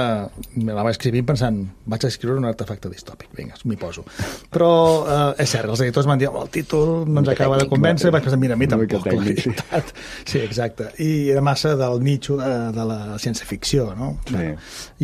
m'anava escrivint pensant, vaig a escriure un artefacte distòpic, vinga, m'hi poso. Però eh, és cert, els editors m'han dit el títol no ens acaba de convèncer, vaig pensar, mira, a mi tampoc, la veritat. Sí, exacte. I era massa del nicho de, de la ciència-ficció, no? Sí.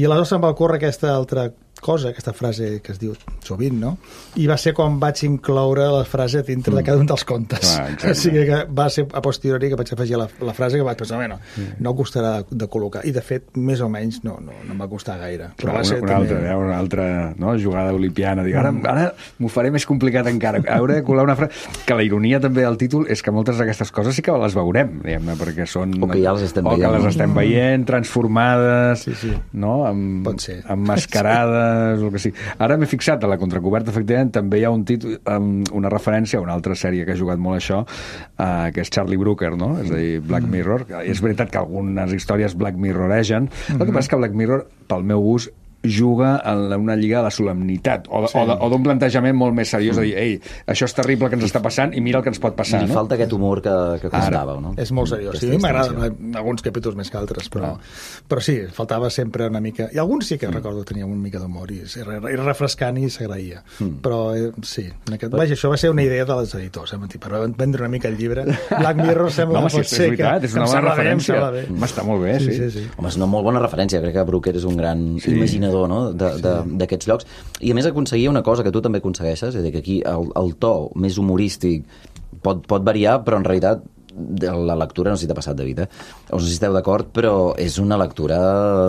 I aleshores em va ocórrer aquesta altra cosa, aquesta frase que es diu sovint, no? I va ser quan vaig incloure la frase dintre mm. de cada un dels contes. Ah, o sigui que va ser a posteriori que vaig afegir la, la frase que vaig pensar, bueno, mm. no costarà de col·locar. I de fet, més o menys, no, no, no em va costar gaire. Però, Però va una, ser una, també... altra, una altra no, jugada olimpiana. Dic, ara mm. ara m'ho faré més complicat encara. Hauré de colar una frase... Que la ironia també del títol és que moltes d'aquestes coses sí que les veurem, diguem-ne, perquè són... O que ja les estem o veient. O que les estem veient, transformades, sí, sí. no? Amb, Pot ser. Emmascarades, el que sigui. Ara m'he fixat a la contracoberta, efectivament, també hi ha un títol, um, una referència a una altra sèrie que ha jugat molt això, uh, que és Charlie Brooker, no? És a dir, Black Mirror. Mm. És veritat que algunes històries Black Mirroregen. Mm-hmm. El que passa és que Black Mirror, pel meu gust, juga en una lliga de la solemnitat o, sí. o d'un plantejament molt més seriós, mm. de dir, ei, això és terrible que ens està passant i mira el que ens pot passar. I li no? falta aquest humor que, que costàveu, no? És molt seriós. Sí, a mi m'agraden alguns capítols més que altres, però, ah. però sí, faltava sempre una mica... I alguns sí que mm. recordo que tenien una mica d'humor i era refrescant i s'agraïa. Mm. Però eh, sí, en aquest... Vaja, això va ser una idea de les editors, eh? Per vendre una mica el llibre. Black Mirror sembla no, que pot sí, ser veritat, que, és una bona referència. Bé, Home, està molt bé, sí. sí. sí, sí. Home, és una molt bona referència. Crec que Brooker és un gran sí. imaginador, no?, de, de, d'aquests llocs, i a més aconseguia una cosa que tu també aconsegueixes, és a dir, que aquí el, el to més humorístic pot, pot variar, però en realitat la lectura, no sé si t'ha passat, David, eh? O no sé si esteu d'acord, però és una lectura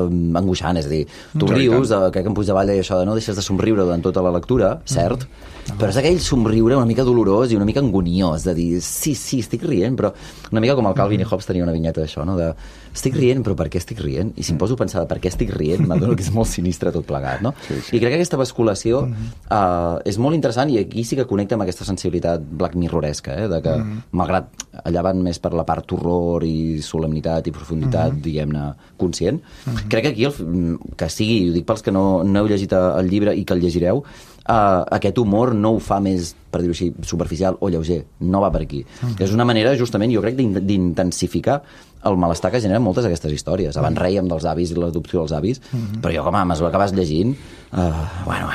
angoixant, és a dir, tu rius, de, crec que en Puigdevall deia això de no deixes de somriure durant tota la lectura, cert, mm. però és aquell somriure una mica dolorós i una mica angoniós, de dir, sí, sí, estic rient, però una mica com el Calvin i Hobbes tenia una vinyeta d'això, no?, de estic rient, però per què estic rient? I si em poso a pensar per què estic rient, m'adono que és molt sinistre tot plegat, no? Sí, sí. I crec que aquesta basculació mm-hmm. uh, és molt interessant i aquí sí que connecta amb aquesta sensibilitat Black Mirroresca, eh? De que, mm-hmm. malgrat allà van van més per la part horror i solemnitat i profunditat, uh-huh. diguem-ne, conscient. Uh-huh. Crec que aquí, el, que sigui, ho dic pels que no, no heu llegit el llibre i que el llegireu, uh, aquest humor no ho fa més, per dir-ho així, superficial o lleuger, no va per aquí. Uh-huh. És una manera, justament, jo crec, d'intensificar el malestar que generen moltes d'aquestes històries. Abans rèiem dels avis i l'adopció dels avis, uh-huh. però jo, com a mesura que vas llegint, uh, bueno,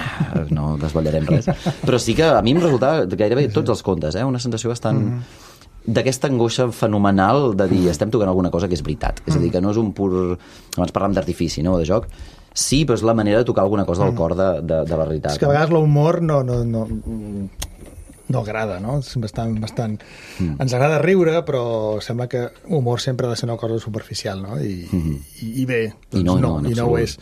no desvetllarem res, però sí que a mi em resultava gairebé tots els contes, eh? Una sensació bastant... Uh-huh. d'aquesta angoixa fenomenal de dir estem tocant alguna cosa que és veritat. És a dir, que no és un pur... Abans parlàvem d'artifici, no?, de joc. Sí, però és la manera de tocar alguna cosa del cor de, de, de la realitat. És que a vegades l'humor no, no, no, no agrada, no? És bastant... bastant... Mm. Ens agrada riure, però sembla que humor sempre ha de ser una cosa superficial, no? I, mm-hmm. i, i bé, doncs I no, no, no, i no ho és.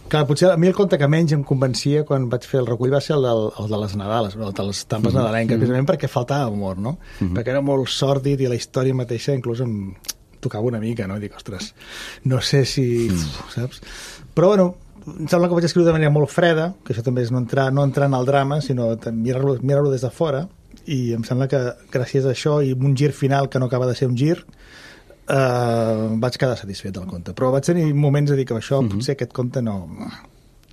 Clar, potser a mi el conte que menys em convencia quan vaig fer el recull va ser el, del, el de les Nadales, el de les tampes mm-hmm. nadalenques, precisament perquè faltava humor, no? Mm-hmm. Perquè era molt sòrdid i la història mateixa inclús em tocava una mica, no? I dic, ostres, no sé si... Mm. Saps? Però, bueno, em sembla que vaig escriure de manera molt freda, que això també és no entrar, no entrar en el drama, sinó mirar-lo mirar des de fora, i em sembla que gràcies a això i un gir final que no acaba de ser un gir, Uh, vaig quedar satisfet del conte, però vaig tenir moments de dir que això, mm-hmm. potser aquest conte no...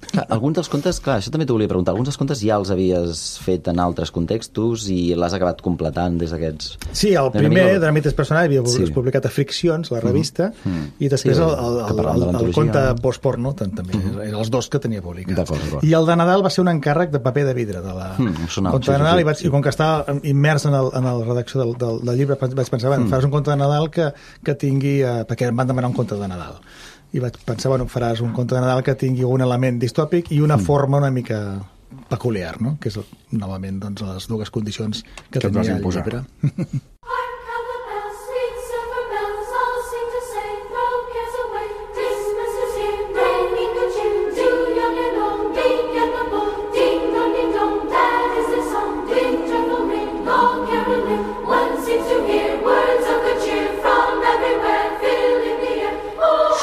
Clar, alguns dels contes, clar, això també t'ho volia preguntar, alguns dels contes ja els havies fet en altres contextos i l'has acabat completant des d'aquests... Sí, el primer, de Dramites Personals, havia sí. publicat a Friccions, la revista, mm-hmm. i després sí, el, el, el, el, el conte postporno, també, mm-hmm. eren els dos que tenia publicats. D'acord, d'acord. I el de Nadal va ser un encàrrec de paper de vidre, de la mm, conte de Nadal, sí, sí, i, vaig, sí. i com que estava immers en, el, en la redacció del, del, del llibre, vaig pensar, bueno, mm. faràs un conte de Nadal que, que tingui... Eh, perquè em van demanar un conte de Nadal. I vaig pensar, bueno, faràs un conte de Nadal que tingui un element distòpic i una mm. forma una mica peculiar, no? Que és, novament, doncs, les dues condicions que, que tenia el llibre.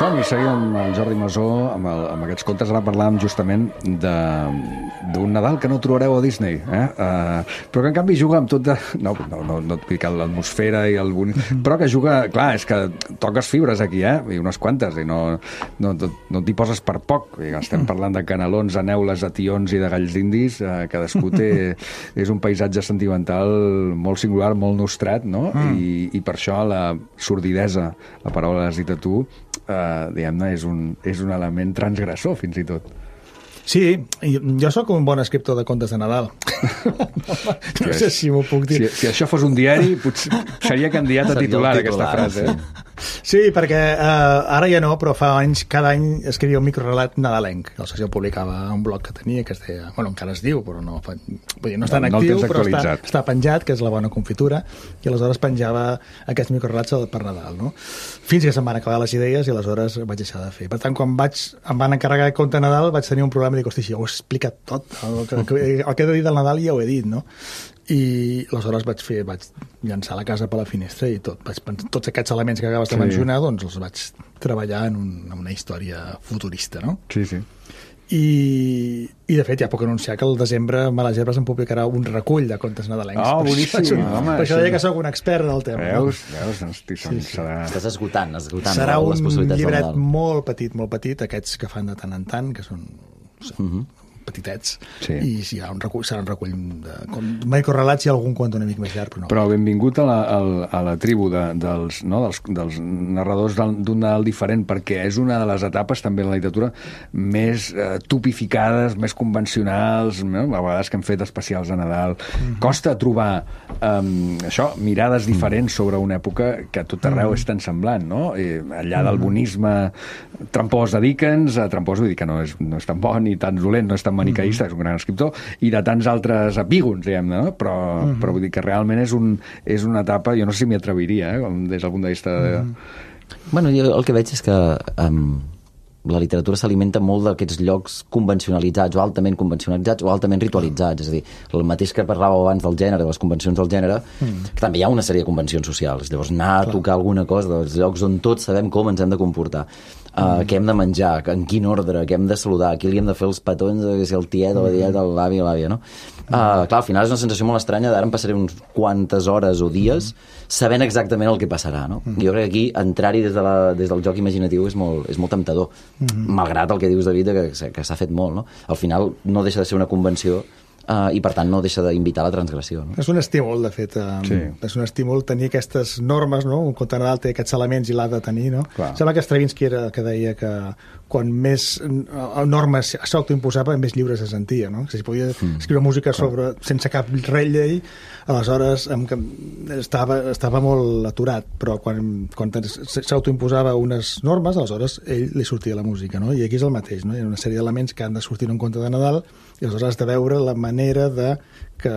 Som-hi, seguim amb el Jordi Masó, amb, el, amb aquests contes. Ara parlàvem justament d'un Nadal que no trobareu a Disney, eh? Uh, però que en canvi juga amb tot de... No, no, no, no et dic l'atmosfera i el bonic, però que juga... Clar, és que toques fibres aquí, eh? I unes quantes, i no, no, no, no t'hi poses per poc. I estem parlant de canelons, aneules, de tions i de galls d'indis. Uh, cadascú té... És un paisatge sentimental molt singular, molt nostrat, no? Mm. I, I per això la sordidesa, la paraula l'has dit a tu, Uh, diguem-ne, és, un, és un element transgressor, fins i tot. Sí, jo sóc un bon escriptor de contes de Nadal. No sé si m'ho puc dir. Si, si això fos un diari, potser seria candidat a titular, aquesta frase. Sí. Sí, perquè uh, ara ja no, però fa anys, cada any escrivia un microrelat nadalenc. El Soci publicava un blog que tenia, que es deia... Bueno, encara es diu, però no... Vull dir, no està en no, actiu, no però està, està penjat, que és la bona confitura, i aleshores penjava aquests microrelats per Nadal, no? Fins que se'm van acabar les idees i aleshores vaig deixar de fer. Per tant, quan vaig, em van encarregar el conte de Nadal, vaig tenir un problema i dic, hosti, ja ho he explicat tot. El que, el que he de dir del Nadal ja ho he dit, no? I aleshores vaig fer, vaig llançar la casa per la finestra i tot, vaig, tots aquests elements que acabes de sí. mencionar, doncs els vaig treballar en, un, en una història futurista, no? Sí, sí. I, i de fet ja puc anunciar que al desembre Males Herbes em publicarà un recull de contes nadalencs. Oh, boníssim. Per, home, per això deia que sóc un expert del tema. Veus? No? Veus? Hosti, sí, sí. Serà... Estàs esgotant, esgotant serà les possibilitats. Serà un llibret molt petit, molt petit, aquests que fan de tant en tant, que són... Uh-huh. petitets, sí. I sí, hi ha un recull, serà un recull de com, microrelats i algun conte una mica més llarg, però no. Però benvingut a la, a, a la tribu de, dels, no, dels, dels narradors d'un Nadal diferent, perquè és una de les etapes també de la literatura més eh, tipificades, més convencionals, no? A vegades que hem fet especials de Nadal. Mm-hmm. Costa trobar um, això, mirades diferents sobre una època que a tot arreu mm-hmm. és tan semblant, no? I allà del bonisme trampós de Dickens, a trampós vull dir que no és, no és tan bon ni tan dolent, no és tan manicaïsta, és un gran escriptor, i de tants altres epígons, diguem-ne, no? Però, uh-huh. però vull dir que realment és, un, és una etapa, jo no sé si m'hi atreviria, eh? Des del punt de vista de... Uh-huh. Bueno, jo el que veig és que um, la literatura s'alimenta molt d'aquests llocs convencionalitzats o altament convencionalitzats o altament ritualitzats, és a dir, el mateix que parlàveu abans del gènere, de les convencions del gènere, mm. que també hi ha una sèrie de convencions socials, llavors anar a tocar alguna cosa dels llocs on tots sabem com ens hem de comportar. Uh, què hem de menjar, en quin ordre, què hem de saludar, qui li hem de fer els petons, que si el tiet o la tieta, l'avi o l'àvia, no? Uh, clar, al final és una sensació molt estranya d'ara em passaré uns quantes hores o dies sabent exactament el que passarà, no? Jo crec que aquí entrar-hi des, de la, des del joc imaginatiu és molt, és molt temptador, malgrat el que dius, David, que, que s'ha fet molt, no? Al final no deixa de ser una convenció Uh, i per tant no deixa d'invitar a la transgressió, no? És un estímul, de fet, um, sí. És un estímul tenir aquestes normes, no? Un conte de Nadal té aquests elements i l'ha de tenir, no? Clar. Sembla que Stravinsky era que deia que quan més uh, normes s'autoimposava, més lliure se sentia, no? Si podia mm. escriure música sobre, sense cap llei, aleshores em, estava, estava molt aturat, però quan, quan s'autoimposava unes normes, aleshores ell li sortia la música, no? I aquí és el mateix, no? Hi ha una sèrie d'elements que han de sortir en un conte de Nadal i aleshores has de veure la manera de que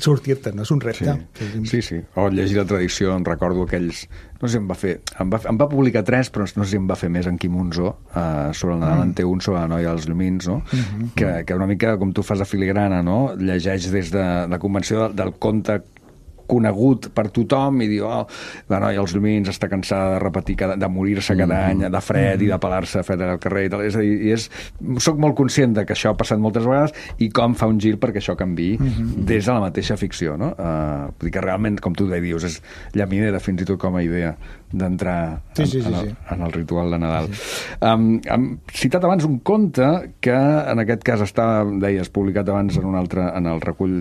sortir-te, no? És un repte. Sí, sí, sí. O llegir la tradició, em recordo aquells... No sé si em va fer... Em va, em va publicar tres, però no sé si em va fer més en Quim Monzó, uh, sobre el Nadal mm. en té un, sobre la noia dels llumins, no? Mm-hmm. Que, que una mica, com tu fas a filigrana, no? Llegeix des de la convenció del, del conte conegut per tothom i diu, oh, la noia als llumins està cansada de repetir, cada, de morir-se cada mm-hmm. any, de fred mm-hmm. i de pelar-se a fred al carrer i tal. És a dir, i és, soc molt conscient de que això ha passat moltes vegades i com fa un gir perquè això canviï mm-hmm. des de la mateixa ficció, no? Uh, vull dir que realment, com tu dius, és llaminera fins i tot com a idea d'entrar sí, sí, sí, en, en, sí. en el ritual de Nadal. Sí. Um, hem citat abans un conte que en aquest cas està, deies, publicat abans en un altre, en el recull,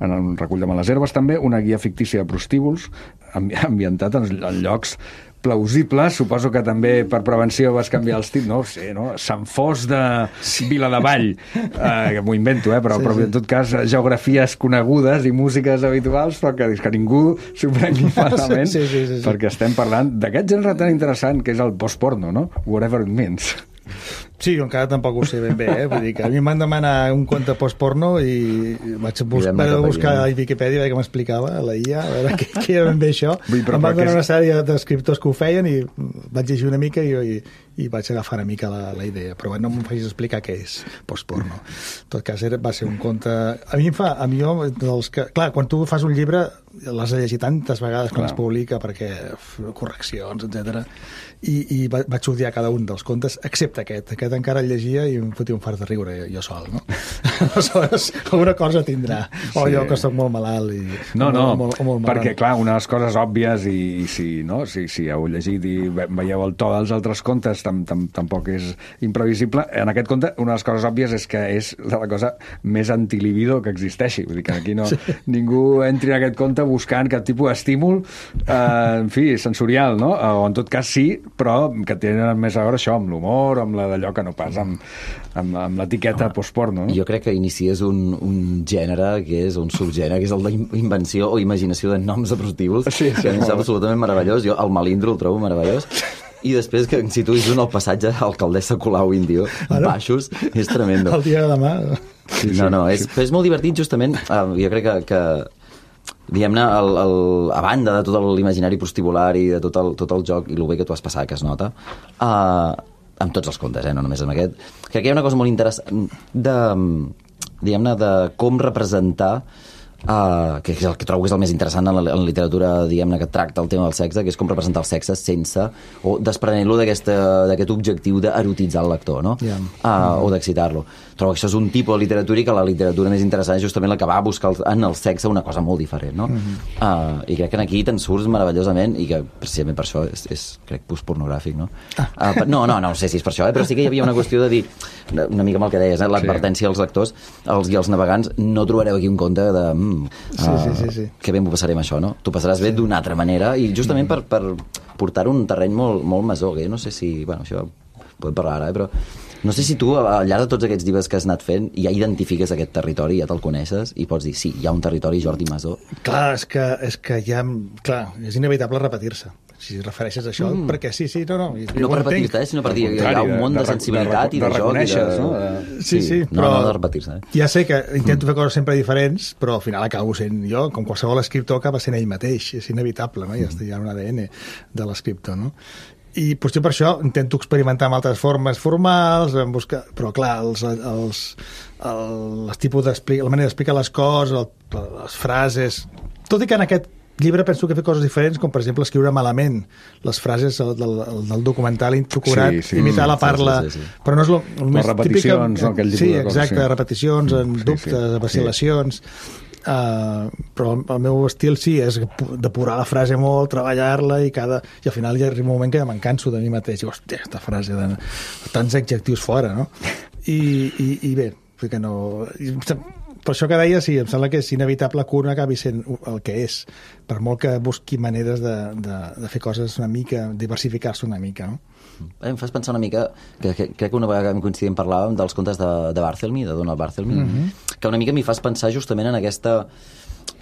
en el recull de Males Herbes també, una guia fictícia de prostíbuls ambientat en, en llocs plausibles, suposo que també per prevenció vas canviar els títols, no ho sé, no? Sant Fos de Viladevall, eh, m'ho invento, eh? però, sí, però en tot cas geografies conegudes i músiques habituals, però que, que ningú s'ho prengui malament, sí, sí, sí, sí. perquè estem parlant d'aquest gènere tan interessant que és el post-porno, no? Whatever it means. Sí, jo encara tampoc ho sé ben bé, eh? Vull dir que a mi m'han demanat un conte post-porno i vaig bus vaig buscar a Wikipedia a veure què m'explicava, a la I A, a veure què, què era ben bé això. Vull, em van donar una sèrie d'escriptors que ho feien i vaig llegir una mica i, i, i vaig agafar una mica la, la idea, però bueno, no m'ho facis explicar què és post-porno. En tot cas, era, va ser un conte... A mi em fa... A mi jo, dels que... Clar, quan tu fas un llibre l'has de llegir tantes vegades quan es publica perquè correccions, etcètera. I, i vaig odiar cada un dels contes, excepte aquest. Aquest encara el llegia i em fotia un fart de riure jo sol, no? Aleshores, alguna cosa tindrà. O sí. Jo que soc molt malalt i... No, no, molt, molt, molt perquè clar, una de les coses òbvies i, i si, no, si, si heu llegit i veieu el to dels altres contes tam, tam, tampoc és imprevisible. En aquest conte, una de les coses òbvies és que és la cosa més antilibido que existeixi. Vull dir que aquí no, sí. Ningú entri en aquest conte buscant cap tipus d'estímul, eh, en fi, sensorial, no? O en tot cas sí, però que tenen més a veure això amb l'humor, amb la d'allò que no pas amb, amb, amb l'etiqueta postporno, no? Jo crec que inicies un, un gènere que és un subgènere, que és el d'invenció o imaginació de noms de prostíbuls, sí, sí, que a mi sap absolutament meravellós. Jo el Malindro el trobo meravellós. I després que situïs un al passatge alcaldessa Colau Índio, baixos, és tremendo. El dia de demà... Sí, no, no, és, és molt divertit justament, uh, jo crec que, que diguem-ne, el, el, a banda de tot l'imaginari prostibular i de tot el, tot el joc i el bé que tu has passat, que es nota, uh, amb tots els contes, eh, no només amb aquest, crec que hi ha una cosa molt interessant de, diguem-ne, de com representar Uh, que és el que trobo que és el més interessant en la, en la literatura, diguem-ne, que tracta el tema del sexe, que és com representar el sexe sense, o desprenent-lo d'aquest objectiu d'erotitzar el lector, no? Yeah. Uh, mm-hmm. O d'excitar-lo. Trobo que això és un tipus de literatura i que la literatura més interessant és justament la que va a buscar en el sexe una cosa molt diferent, no? Mm-hmm. uh, I crec que aquí te'n surts meravellosament i que precisament per això és, és crec, postpornogràfic, no? Ah. Uh, no, no, no sé si és per això, eh? Però sí que hi havia una qüestió de dir, una mica amb el que deies, eh? L'advertència als lectors els, i als navegants, no trobareu aquí un conte de... Mm, Sí, sí, sí, sí. Que bé m'ho passarem això, no? Tu passaràs bé d'una altra manera i justament per, per portar un terreny molt, molt masó, que jo no sé si... Bueno, això podem parlar ara, eh? Però no sé si tu, al llarg de tots aquests llibres que has anat fent, ja identifiques aquest territori, ja te'l coneixes i pots dir, sí, hi ha un territori Jordi Masó. Clar, és que, és que ja... Clar, és inevitable repetir-se. Si refereixes a això, mm. perquè sí, sí, no, no. No per repetir-te, eh, sinó per dir que hi ha un món de, de sensibilitat de, de, de, i de joc. I de... No? Sí, sí, no, però... No, de repetir-se. Eh? Ja sé que intento mm. fer coses sempre diferents, però al final acabo sent jo, com qualsevol escriptor acaba sent ell mateix. És inevitable, no? Ja mm. hi ha un A D N de l'escriptor, no? I potser per això intento experimentar amb altres formes formals, en buscar... però clar, els, els, el, els tipus la manera d'explicar les coses, el, les frases... Tot i que en aquest llibre penso que he fet coses diferents, com per exemple escriure malament les frases del, del, del documental introcurat, Sí, sí. imitar la parla, Sí, sí, sí, sí. però no és el, el més repeticions, no? Aquell tipus sí, de coses, exacte, sí. repeticions, en Sí, sí. dubtes, vacil·lacions. Uh, però el meu estil sí és depurar la frase molt, treballar-la i cada i al final hi arriba un moment que ja me'n canso de mi mateix i, hòstia, aquesta frase de tants adjectius fora, no? I, i, i bé, que no... Per això que deia, sí, em sembla que és inevitable que un acabi sent el que és, per molt que busqui maneres de, de, de fer coses una mica, diversificar-se una mica, no? Em fas pensar una mica, que, que crec que una vegada que coincidíem parlàvem dels contes de, de Barthelmy, de Donald Barthelmy, mm-hmm. que una mica m'hi fas pensar justament en aquesta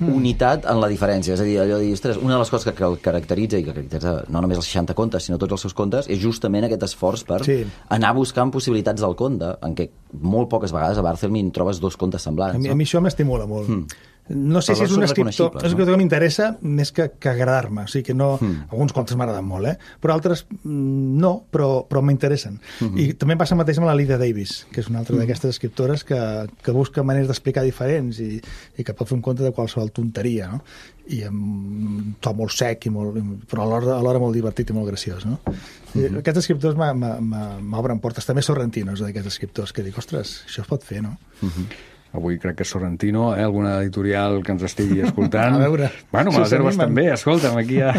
unitat en la diferència. És a dir, allò de dir, ostres, una de les coses que, que el caracteritza, i que caracteritza no només els seixanta contes, sinó tots els seus contes, és justament aquest esforç per Sí. anar buscant possibilitats del conte, en què molt poques vegades a Barthelmy en trobes dos contes semblants. A mi, no? a mi això m'estimula molt. Mm. No sé Però si és són un escriptor... reconeixibles, És un no? escriptor que m'interessa més que, que agradar-me. O sigui que no... Mm. Alguns contes m'agraden molt, eh? Però altres mm, no, però, però m'interessen. Mm-hmm. I també passa el mateix amb la Lydia Davis, que és una altra mm. d'aquestes escriptores que, que busca maneres d'explicar diferents i, i que pot fer un conte de qualsevol tonteria, no? I amb un to molt sec, i molt, però alhora, alhora molt divertit i molt graciós, no? Mm-hmm. Aquests escriptors m'obren portes. També Sorrentino és d'aquests escriptors que dic, ostres, això es pot fer, no? Mm-hmm. Avui crec que Sorrentino, eh, alguna editorial que ens estigui escoltant. A veure, Bueno, si me les herbes s'animen. també, escolta'm, aquí ja...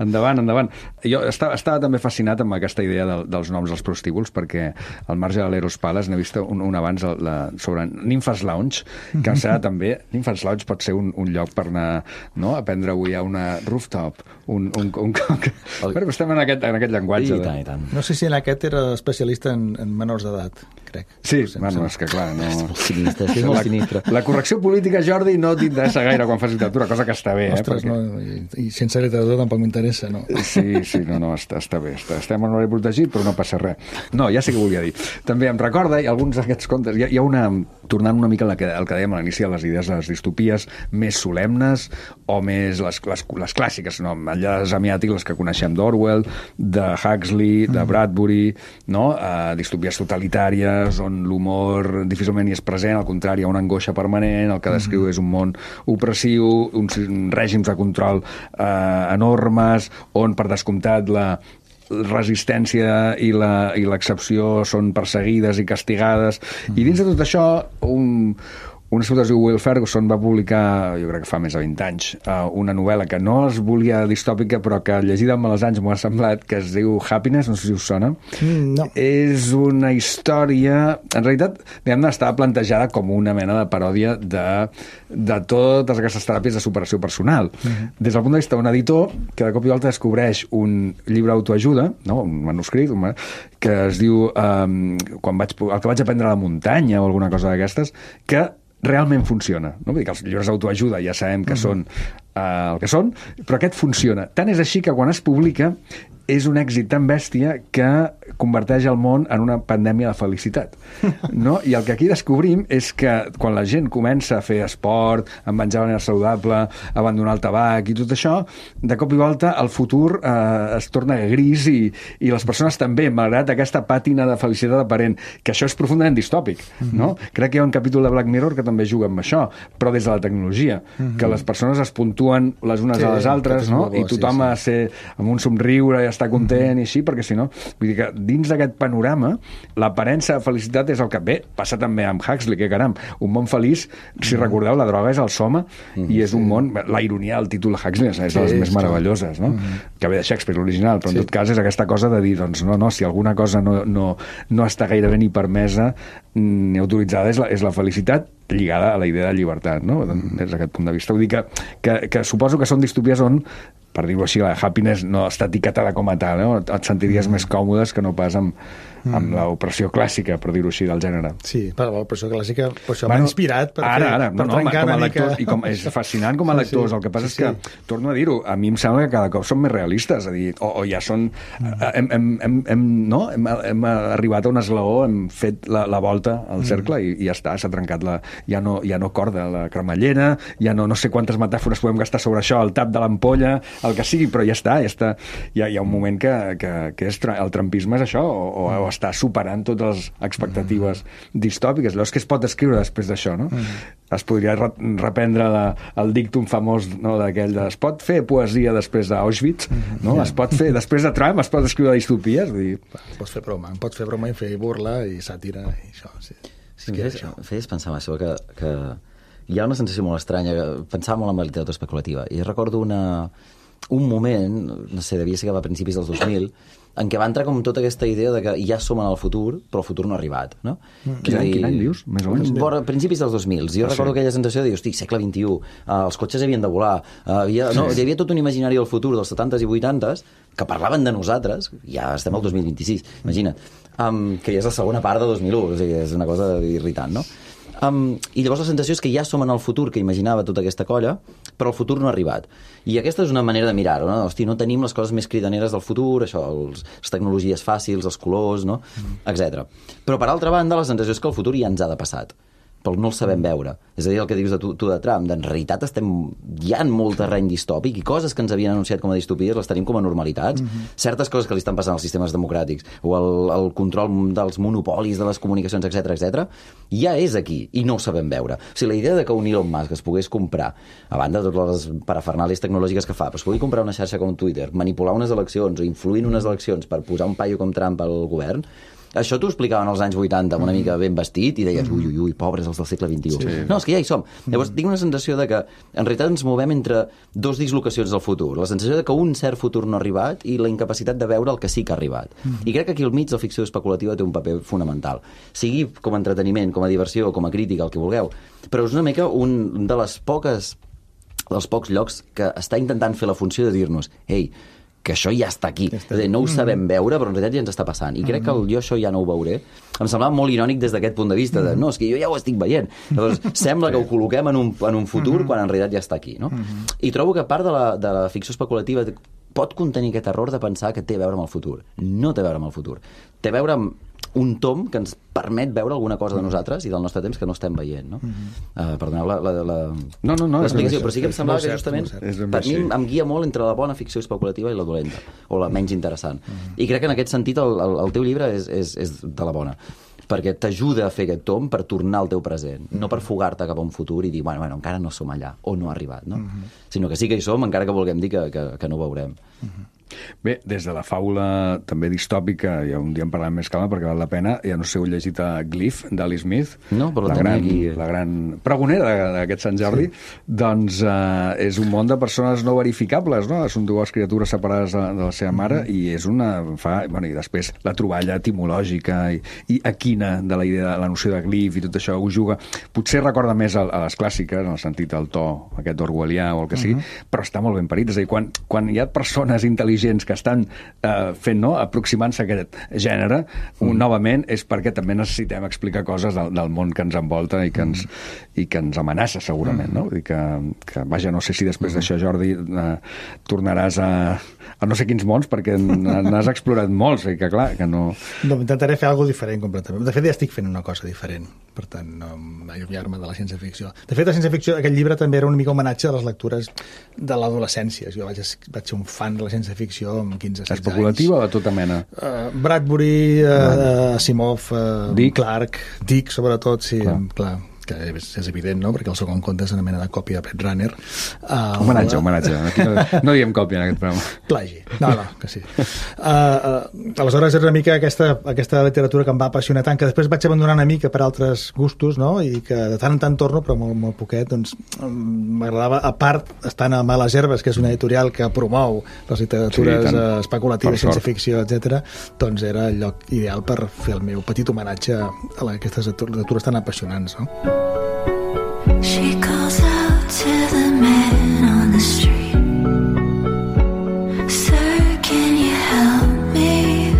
Endavant, endavant. Jo estava, estava també fascinat amb aquesta idea del, dels noms dels prostíbuls, perquè al marge de l'Eros Palace n'he vist un, un abans la, sobre Nymphas Lounge, que em sembla també... Nymphas Lounge pot ser un, un lloc per anar, no?, a prendre avui a una rooftop. Un, un, un, un... Bueno, estem en aquest, en aquest llenguatge. I tant, i tant. No sé si en aquest era especialista en, en menors d'edat, crec. Sí, Sense- bueno, és que clar, no... Molt sinistre, és molt sinistre. La correcció política, Jordi, no t'interessa gaire quan fas literatura, cosa que està bé, Ostres, eh? Perquè... no, i, i sense literatura tampoc m'interessa, no? Sí, sí, no, no, està, està bé. Està, estem en horari protegit, però no passa res. No, ja sé què volia dir. També em recorda, i alguns d'aquests contes, hi ha, hi ha una... Tornant una mica al que, al que dèiem a l'inici de les idees de les distopies més solemnes o més les, les, les clàssiques, no? Enllà de les amiàtiques, les que coneixem d'Orwell, de Huxley, de Bradbury, no? Uh, distopies totalitàries on l'humor difícilment hi és present, al contrari, hi ha una angoixa permanent, el que descriu és un món opressiu, uns règims de control uh, enormes, on, per descomptat, la resistència i la, i l'excepció són perseguides i castigades, mm. i dins de tot això un, un escriptor que es diu Will Ferguson va publicar, jo crec que fa més de vint anys, uh, una novel·la que no es volia distòpica, però que llegida amb els anys m'ho ha semblat, que es diu Happiness, no sé si us sona. Mm, no. És una història... En realitat, diguem-ne, estava plantejada com una mena de paròdia de, de totes aquestes teràpies de superació personal. Mm-hmm. Des del punt de vista d'un editor que de cop i volta descobreix un llibre d'autoajuda, no? Un manuscrit, un man... que es diu um, quan vaig, el que vaig aprendre a la muntanya o alguna cosa d'aquestes, que realment funciona. No? Vull dir que els llibres d'autoajuda ja sabem que uh-huh. són uh, el que són, però aquest funciona. Tant és així que quan es publica és un èxit tan bèstia que converteix el món en una pandèmia de felicitat. No? I el que aquí descobrim és que quan la gent comença a fer esport, a menjar de manera saludable, a abandonar el tabac i tot això, de cop i volta el futur eh, es torna gris i, i les persones també, malgrat aquesta pàtina de felicitat aparent, que això és profundament distòpic. Mm-hmm. No? Crec que hi ha un capítol de Black Mirror que també juga amb això, però des de la tecnologia, mm-hmm. que les persones es puntuen les unes sí, a les altres, no? Bo, i tothom sí, sí. ha de ser amb un somriure i estar content mm-hmm. i així, perquè si no, vull dir que dins d'aquest panorama l'aparença de felicitat és el que bé, passa també amb Huxley, que caram, un món feliç, si mm-hmm. recordeu, la droga és el soma mm-hmm. i és un món, la ironia del títol de Huxley és, és de les sí, més meravelloses, no? Mm-hmm. que ve de Shakespeare l'original, però sí. en tot cas és aquesta cosa de dir, doncs no, no, si alguna cosa no, no, no està gairebé ni permesa ni autoritzada és la, és la felicitat lligada a la idea de llibertat, no? Mm-hmm. des d'aquest punt de vista. Vull dir que, que, que suposo que són distopies on, per dir-ho així, la happiness no està etiquetada com a tal, no? Et sentiries mm. més còmodes que no pas amb, amb mm. l'opressió clàssica, per dir-ho així, del gènere. Sí, però l'opressió clàssica per això bueno, m'ha inspirat per ara, fer, ara, per no, no, trencar com a una lectors, mica... i com, és fascinant com a lectors, sí, sí. el que passa sí, és que, sí. torno a dir-ho, a mi em sembla que cada cop són més realistes, és a dir, o, o ja són... Mm. Hem, hem, hem, hem, no? hem, hem arribat a un esglaó, hem fet la, la volta al cercle mm. i, i ja està, s'ha trencat la... Ja no, ja no corda la cremallera, ja no, no sé quantes metàfores podem gastar sobre això, el tap de l'ampolla, el que sigui, però ja està, ja està. Hi ha, hi ha un moment que, que, que és, el trampisme és això, o, o està superant totes les expectatives mm. distòpiques. Llavors, què es pot escriure després d'això, no? Mm. Es podria re reprendre la, el dictum famós, no, d'aquell de es pot fer poesia després d'Auschwitz, mm. no? Es pot fer, després de Trump, es pot escriure distopies? Vull dir... Pots fer broma, pots fer broma i fer burla i sàtira i això, sí. Sí, que feies, feies pensar això, que, que hi ha una sensació molt estranya, pensava molt en la literatura especulativa, i recordo una, un moment, no sé, devia ser que va a principis dels dos mil, en què va entrar com tota aquesta idea de que ja som en el futur, però el futur no ha arribat, no? Mm. Quin, any, quin any dius, més o menys? Vora, principis dels dos mil. Jo ah, recordo sí. aquella sensació de dir, hosti, segle vint-i-u, uh, els cotxes havien de volar, uh, havia, sí. no, hi havia tot un imaginari del futur dels setantes i vuitantes que parlaven de nosaltres, ja estem al dos mil vint-i-sis, imagina't, um, que ja és la segona part de dos mil u, o sigui, és una cosa irritant, no? Um, I llavors la sensació és que ja som en el futur que imaginava tota aquesta colla, però el futur no ha arribat. I aquesta és una manera de mirar-ho, no? Hosti, no tenim les coses més cridaneres del futur, això, els, les tecnologies fàcils, els colors, no? Mm. etcètera. Però, per altra banda, la sensació és que el futur ja ens ha de passat, però no el sabem veure. És a dir, el que dius de tu, tu de Trump, en realitat estem ja en molt terreny distòpic i coses que ens havien anunciat com a distopies les tenim com a normalitats. Mm-hmm. Certes coses que li estan passant als sistemes democràtics o el, el control dels monopolis de les comunicacions, etcètera, etcètera, ja és aquí i no ho sabem veure. O sigui, la idea de que un Elon Musk es pogués comprar, a banda de totes les parafernàlies tecnològiques que fa, però es pugui comprar una xarxa com Twitter, manipular unes eleccions o influir en unes eleccions per posar un paio com Trump al govern, això t'ho explicaven als anys vuitanta amb una mica ben vestit i deies, ui, ui, ui, pobres els del segle vint-i-u. Sí. No, és que ja hi som. Llavors, tinc una sensació de que en realitat ens movem entre dos dislocacions del futur. La sensació de que un cert futur no ha arribat i la incapacitat de veure el que sí que ha arribat. I crec que aquí al mig la ficció especulativa té un paper fonamental. Sigui com a entreteniment, com a diversió, com a crítica, el que vulgueu. Però és una mica un de les poques dels pocs llocs que està intentant fer la funció de dir-nos, ei, que això ja està aquí. Ja està. No ho sabem veure, però en realitat ja ens està passant. I crec que el, jo això ja no ho veuré. Em semblava molt irònic des d'aquest punt de vista, de no, és que jo ja ho estic veient. Llavors, sembla que ho col·loquem en un, en un futur quan en realitat ja està aquí. No? I trobo que part de la, de la ficció especulativa pot contenir aquest error de pensar que té a veure amb el futur. No té a veure amb el futur. Té a veure amb un tom que ens permet veure alguna cosa de nosaltres i del nostre temps que no estem veient, no? Uh, perdoneu la, la, la, no, no, no, l'explicació, però sí que em semblava que justament per mi em guia molt entre la bona ficció especulativa i la dolenta, o la menys interessant. I crec que en aquest sentit el, el, el teu llibre és, és, és de la bona, perquè t'ajuda a fer aquest tom per tornar al teu present, no per fugar-te cap a un futur i dir, bueno, bueno, encara no som allà, o no ha arribat, no? Uh-huh. Sinó que sí que hi som, encara que vulguem dir que, que, que no ho veurem. Uh-huh. Bé, des de la faula també distòpica, ja un dia en parlem més calma perquè val la pena, ja no sé, heu llegit a Glyph, d'Ali Smith, no, però la, gran, aquí... la gran pregonera d'aquest Sant Jordi, sí. Doncs eh, és un món de persones no verificables, no? Són dues criatures separades de, de la seva mare, mm-hmm. i és una... Fa, bueno, i després la troballa etimològica i, i equina de la idea, la noció de Glyph i tot això ho juga. Potser recorda més a, a les clàssiques, en el sentit del to aquest orwellià o el que sigui, mm-hmm. però està molt ben parit. És a dir, quan, quan hi ha persones intel·ligents que estan eh, fent, no?, aproximant-se a aquest gènere, mm. un, novament, és perquè també necessitem explicar coses del, del món que ens envolta i que ens, mm. i que ens amenaça, segurament, mm. no? Vull dir que, que, vaja, no sé si després mm. d'això, Jordi, eh, tornaràs a, a no sé quins mons, perquè n'has explorat molts, i que, clar, que no... No, intentaré fer alguna diferent, completament. De fet, ja estic fent una cosa diferent, per tant, no allunyar-me de la ciència-ficció. De fet, la ciència-ficció, aquest llibre també era una mica homenatge a les lectures de l'adolescència. Jo vaig, vaig ser un fan de la ciència-ficció amb quinze setze anys. Especulativa o de tota mena? Uh, Bradbury, uh, Asimov, uh, Dick. Clark, Dick, sobretot, sí, clar. clar. que és, és evident, no?, perquè el segon conte és una mena de còpia de Blade Runner. Uh, homenatge, homenatge. Aquí no, no diem còpia en aquest programa. Plagi. No, no, que sí. Uh, uh, aleshores és una mica aquesta, aquesta literatura que em va apassionar tant, que després vaig abandonar una mica per altres gustos, no?, i que de tant en tant torno, però molt, molt poquet, doncs m'agradava, a part, estant a Males Herbes, que és una editorial que promou les literatures sí, uh, especulatives, ciència-ficció, etcètera, doncs era el lloc ideal per fer el meu petit homenatge a aquestes literatures tan apassionants, no? She calls out to the man on the street, Sir, can you help me?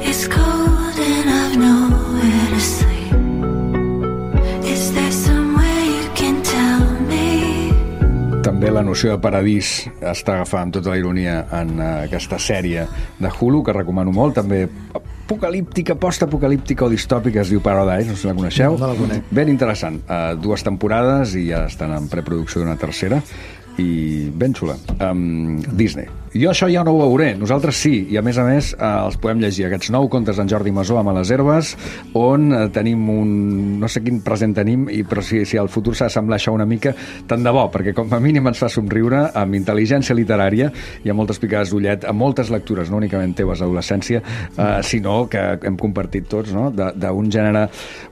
It's cold and I've nowhere to sleep. Is there some way you can tell me? També la noció de paradís està agafada amb tota la ironia en uh, aquesta sèrie de Hulu, que recomano molt, també apocalíptica, post-apocalíptica o distòpica, es diu Paradise, no sé si la coneixeu. No la conec. Ben interessant. Uh, dues temporades i ja estan en preproducció d'una tercera, i ben xula. Um, Disney. Jo això ja no ho veuré, nosaltres sí, i a més a més eh, els podem llegir, aquests nou contes d'en Jordi Masó amb a les herbes, on eh, tenim un... no sé quin present tenim, i, però si, si el futur s'ha d'assemblar això una mica, tant de bo, perquè com a mínim ens fa somriure, amb intel·ligència literària, i amb moltes picades d'ullet, amb moltes lectures, no únicament teves d'adolescència, eh, sinó que hem compartit tots, no?, d'un gènere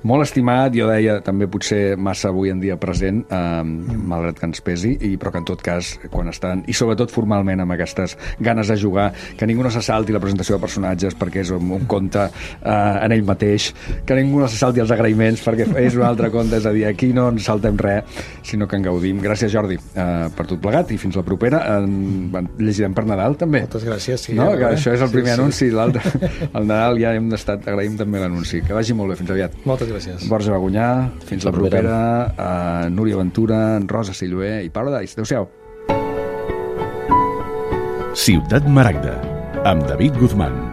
molt estimat, jo deia també potser massa avui en dia present, eh, malgrat que ens pesi, i, però que en tot cas, quan estan, i sobretot formalment amb aquestes ganes de jugar, que ningú no se salti la presentació de personatges perquè és un, un conte eh, en ell mateix, que ningú no se salti els agraïments perquè és un altre conte, és a dir, aquí no ens saltem res, sinó que en gaudim. Gràcies, Jordi, eh, per tot plegat, i fins la propera. En, en llegirem per Nadal, també. Moltes gràcies. Sí, no? ja, Que eh? això és el primer sí, anunci, sí. l'altre, el Nadal ja hem d'estar, agraïm també l'anunci. Que vagi molt bé, fins aviat. Moltes gràcies. Borja Bagunyà, fins la propera, eh, Núria Ventura, Rosa Silloé i Paradise. Adéu-siau. Ciutat Maragda, amb David Guzmán.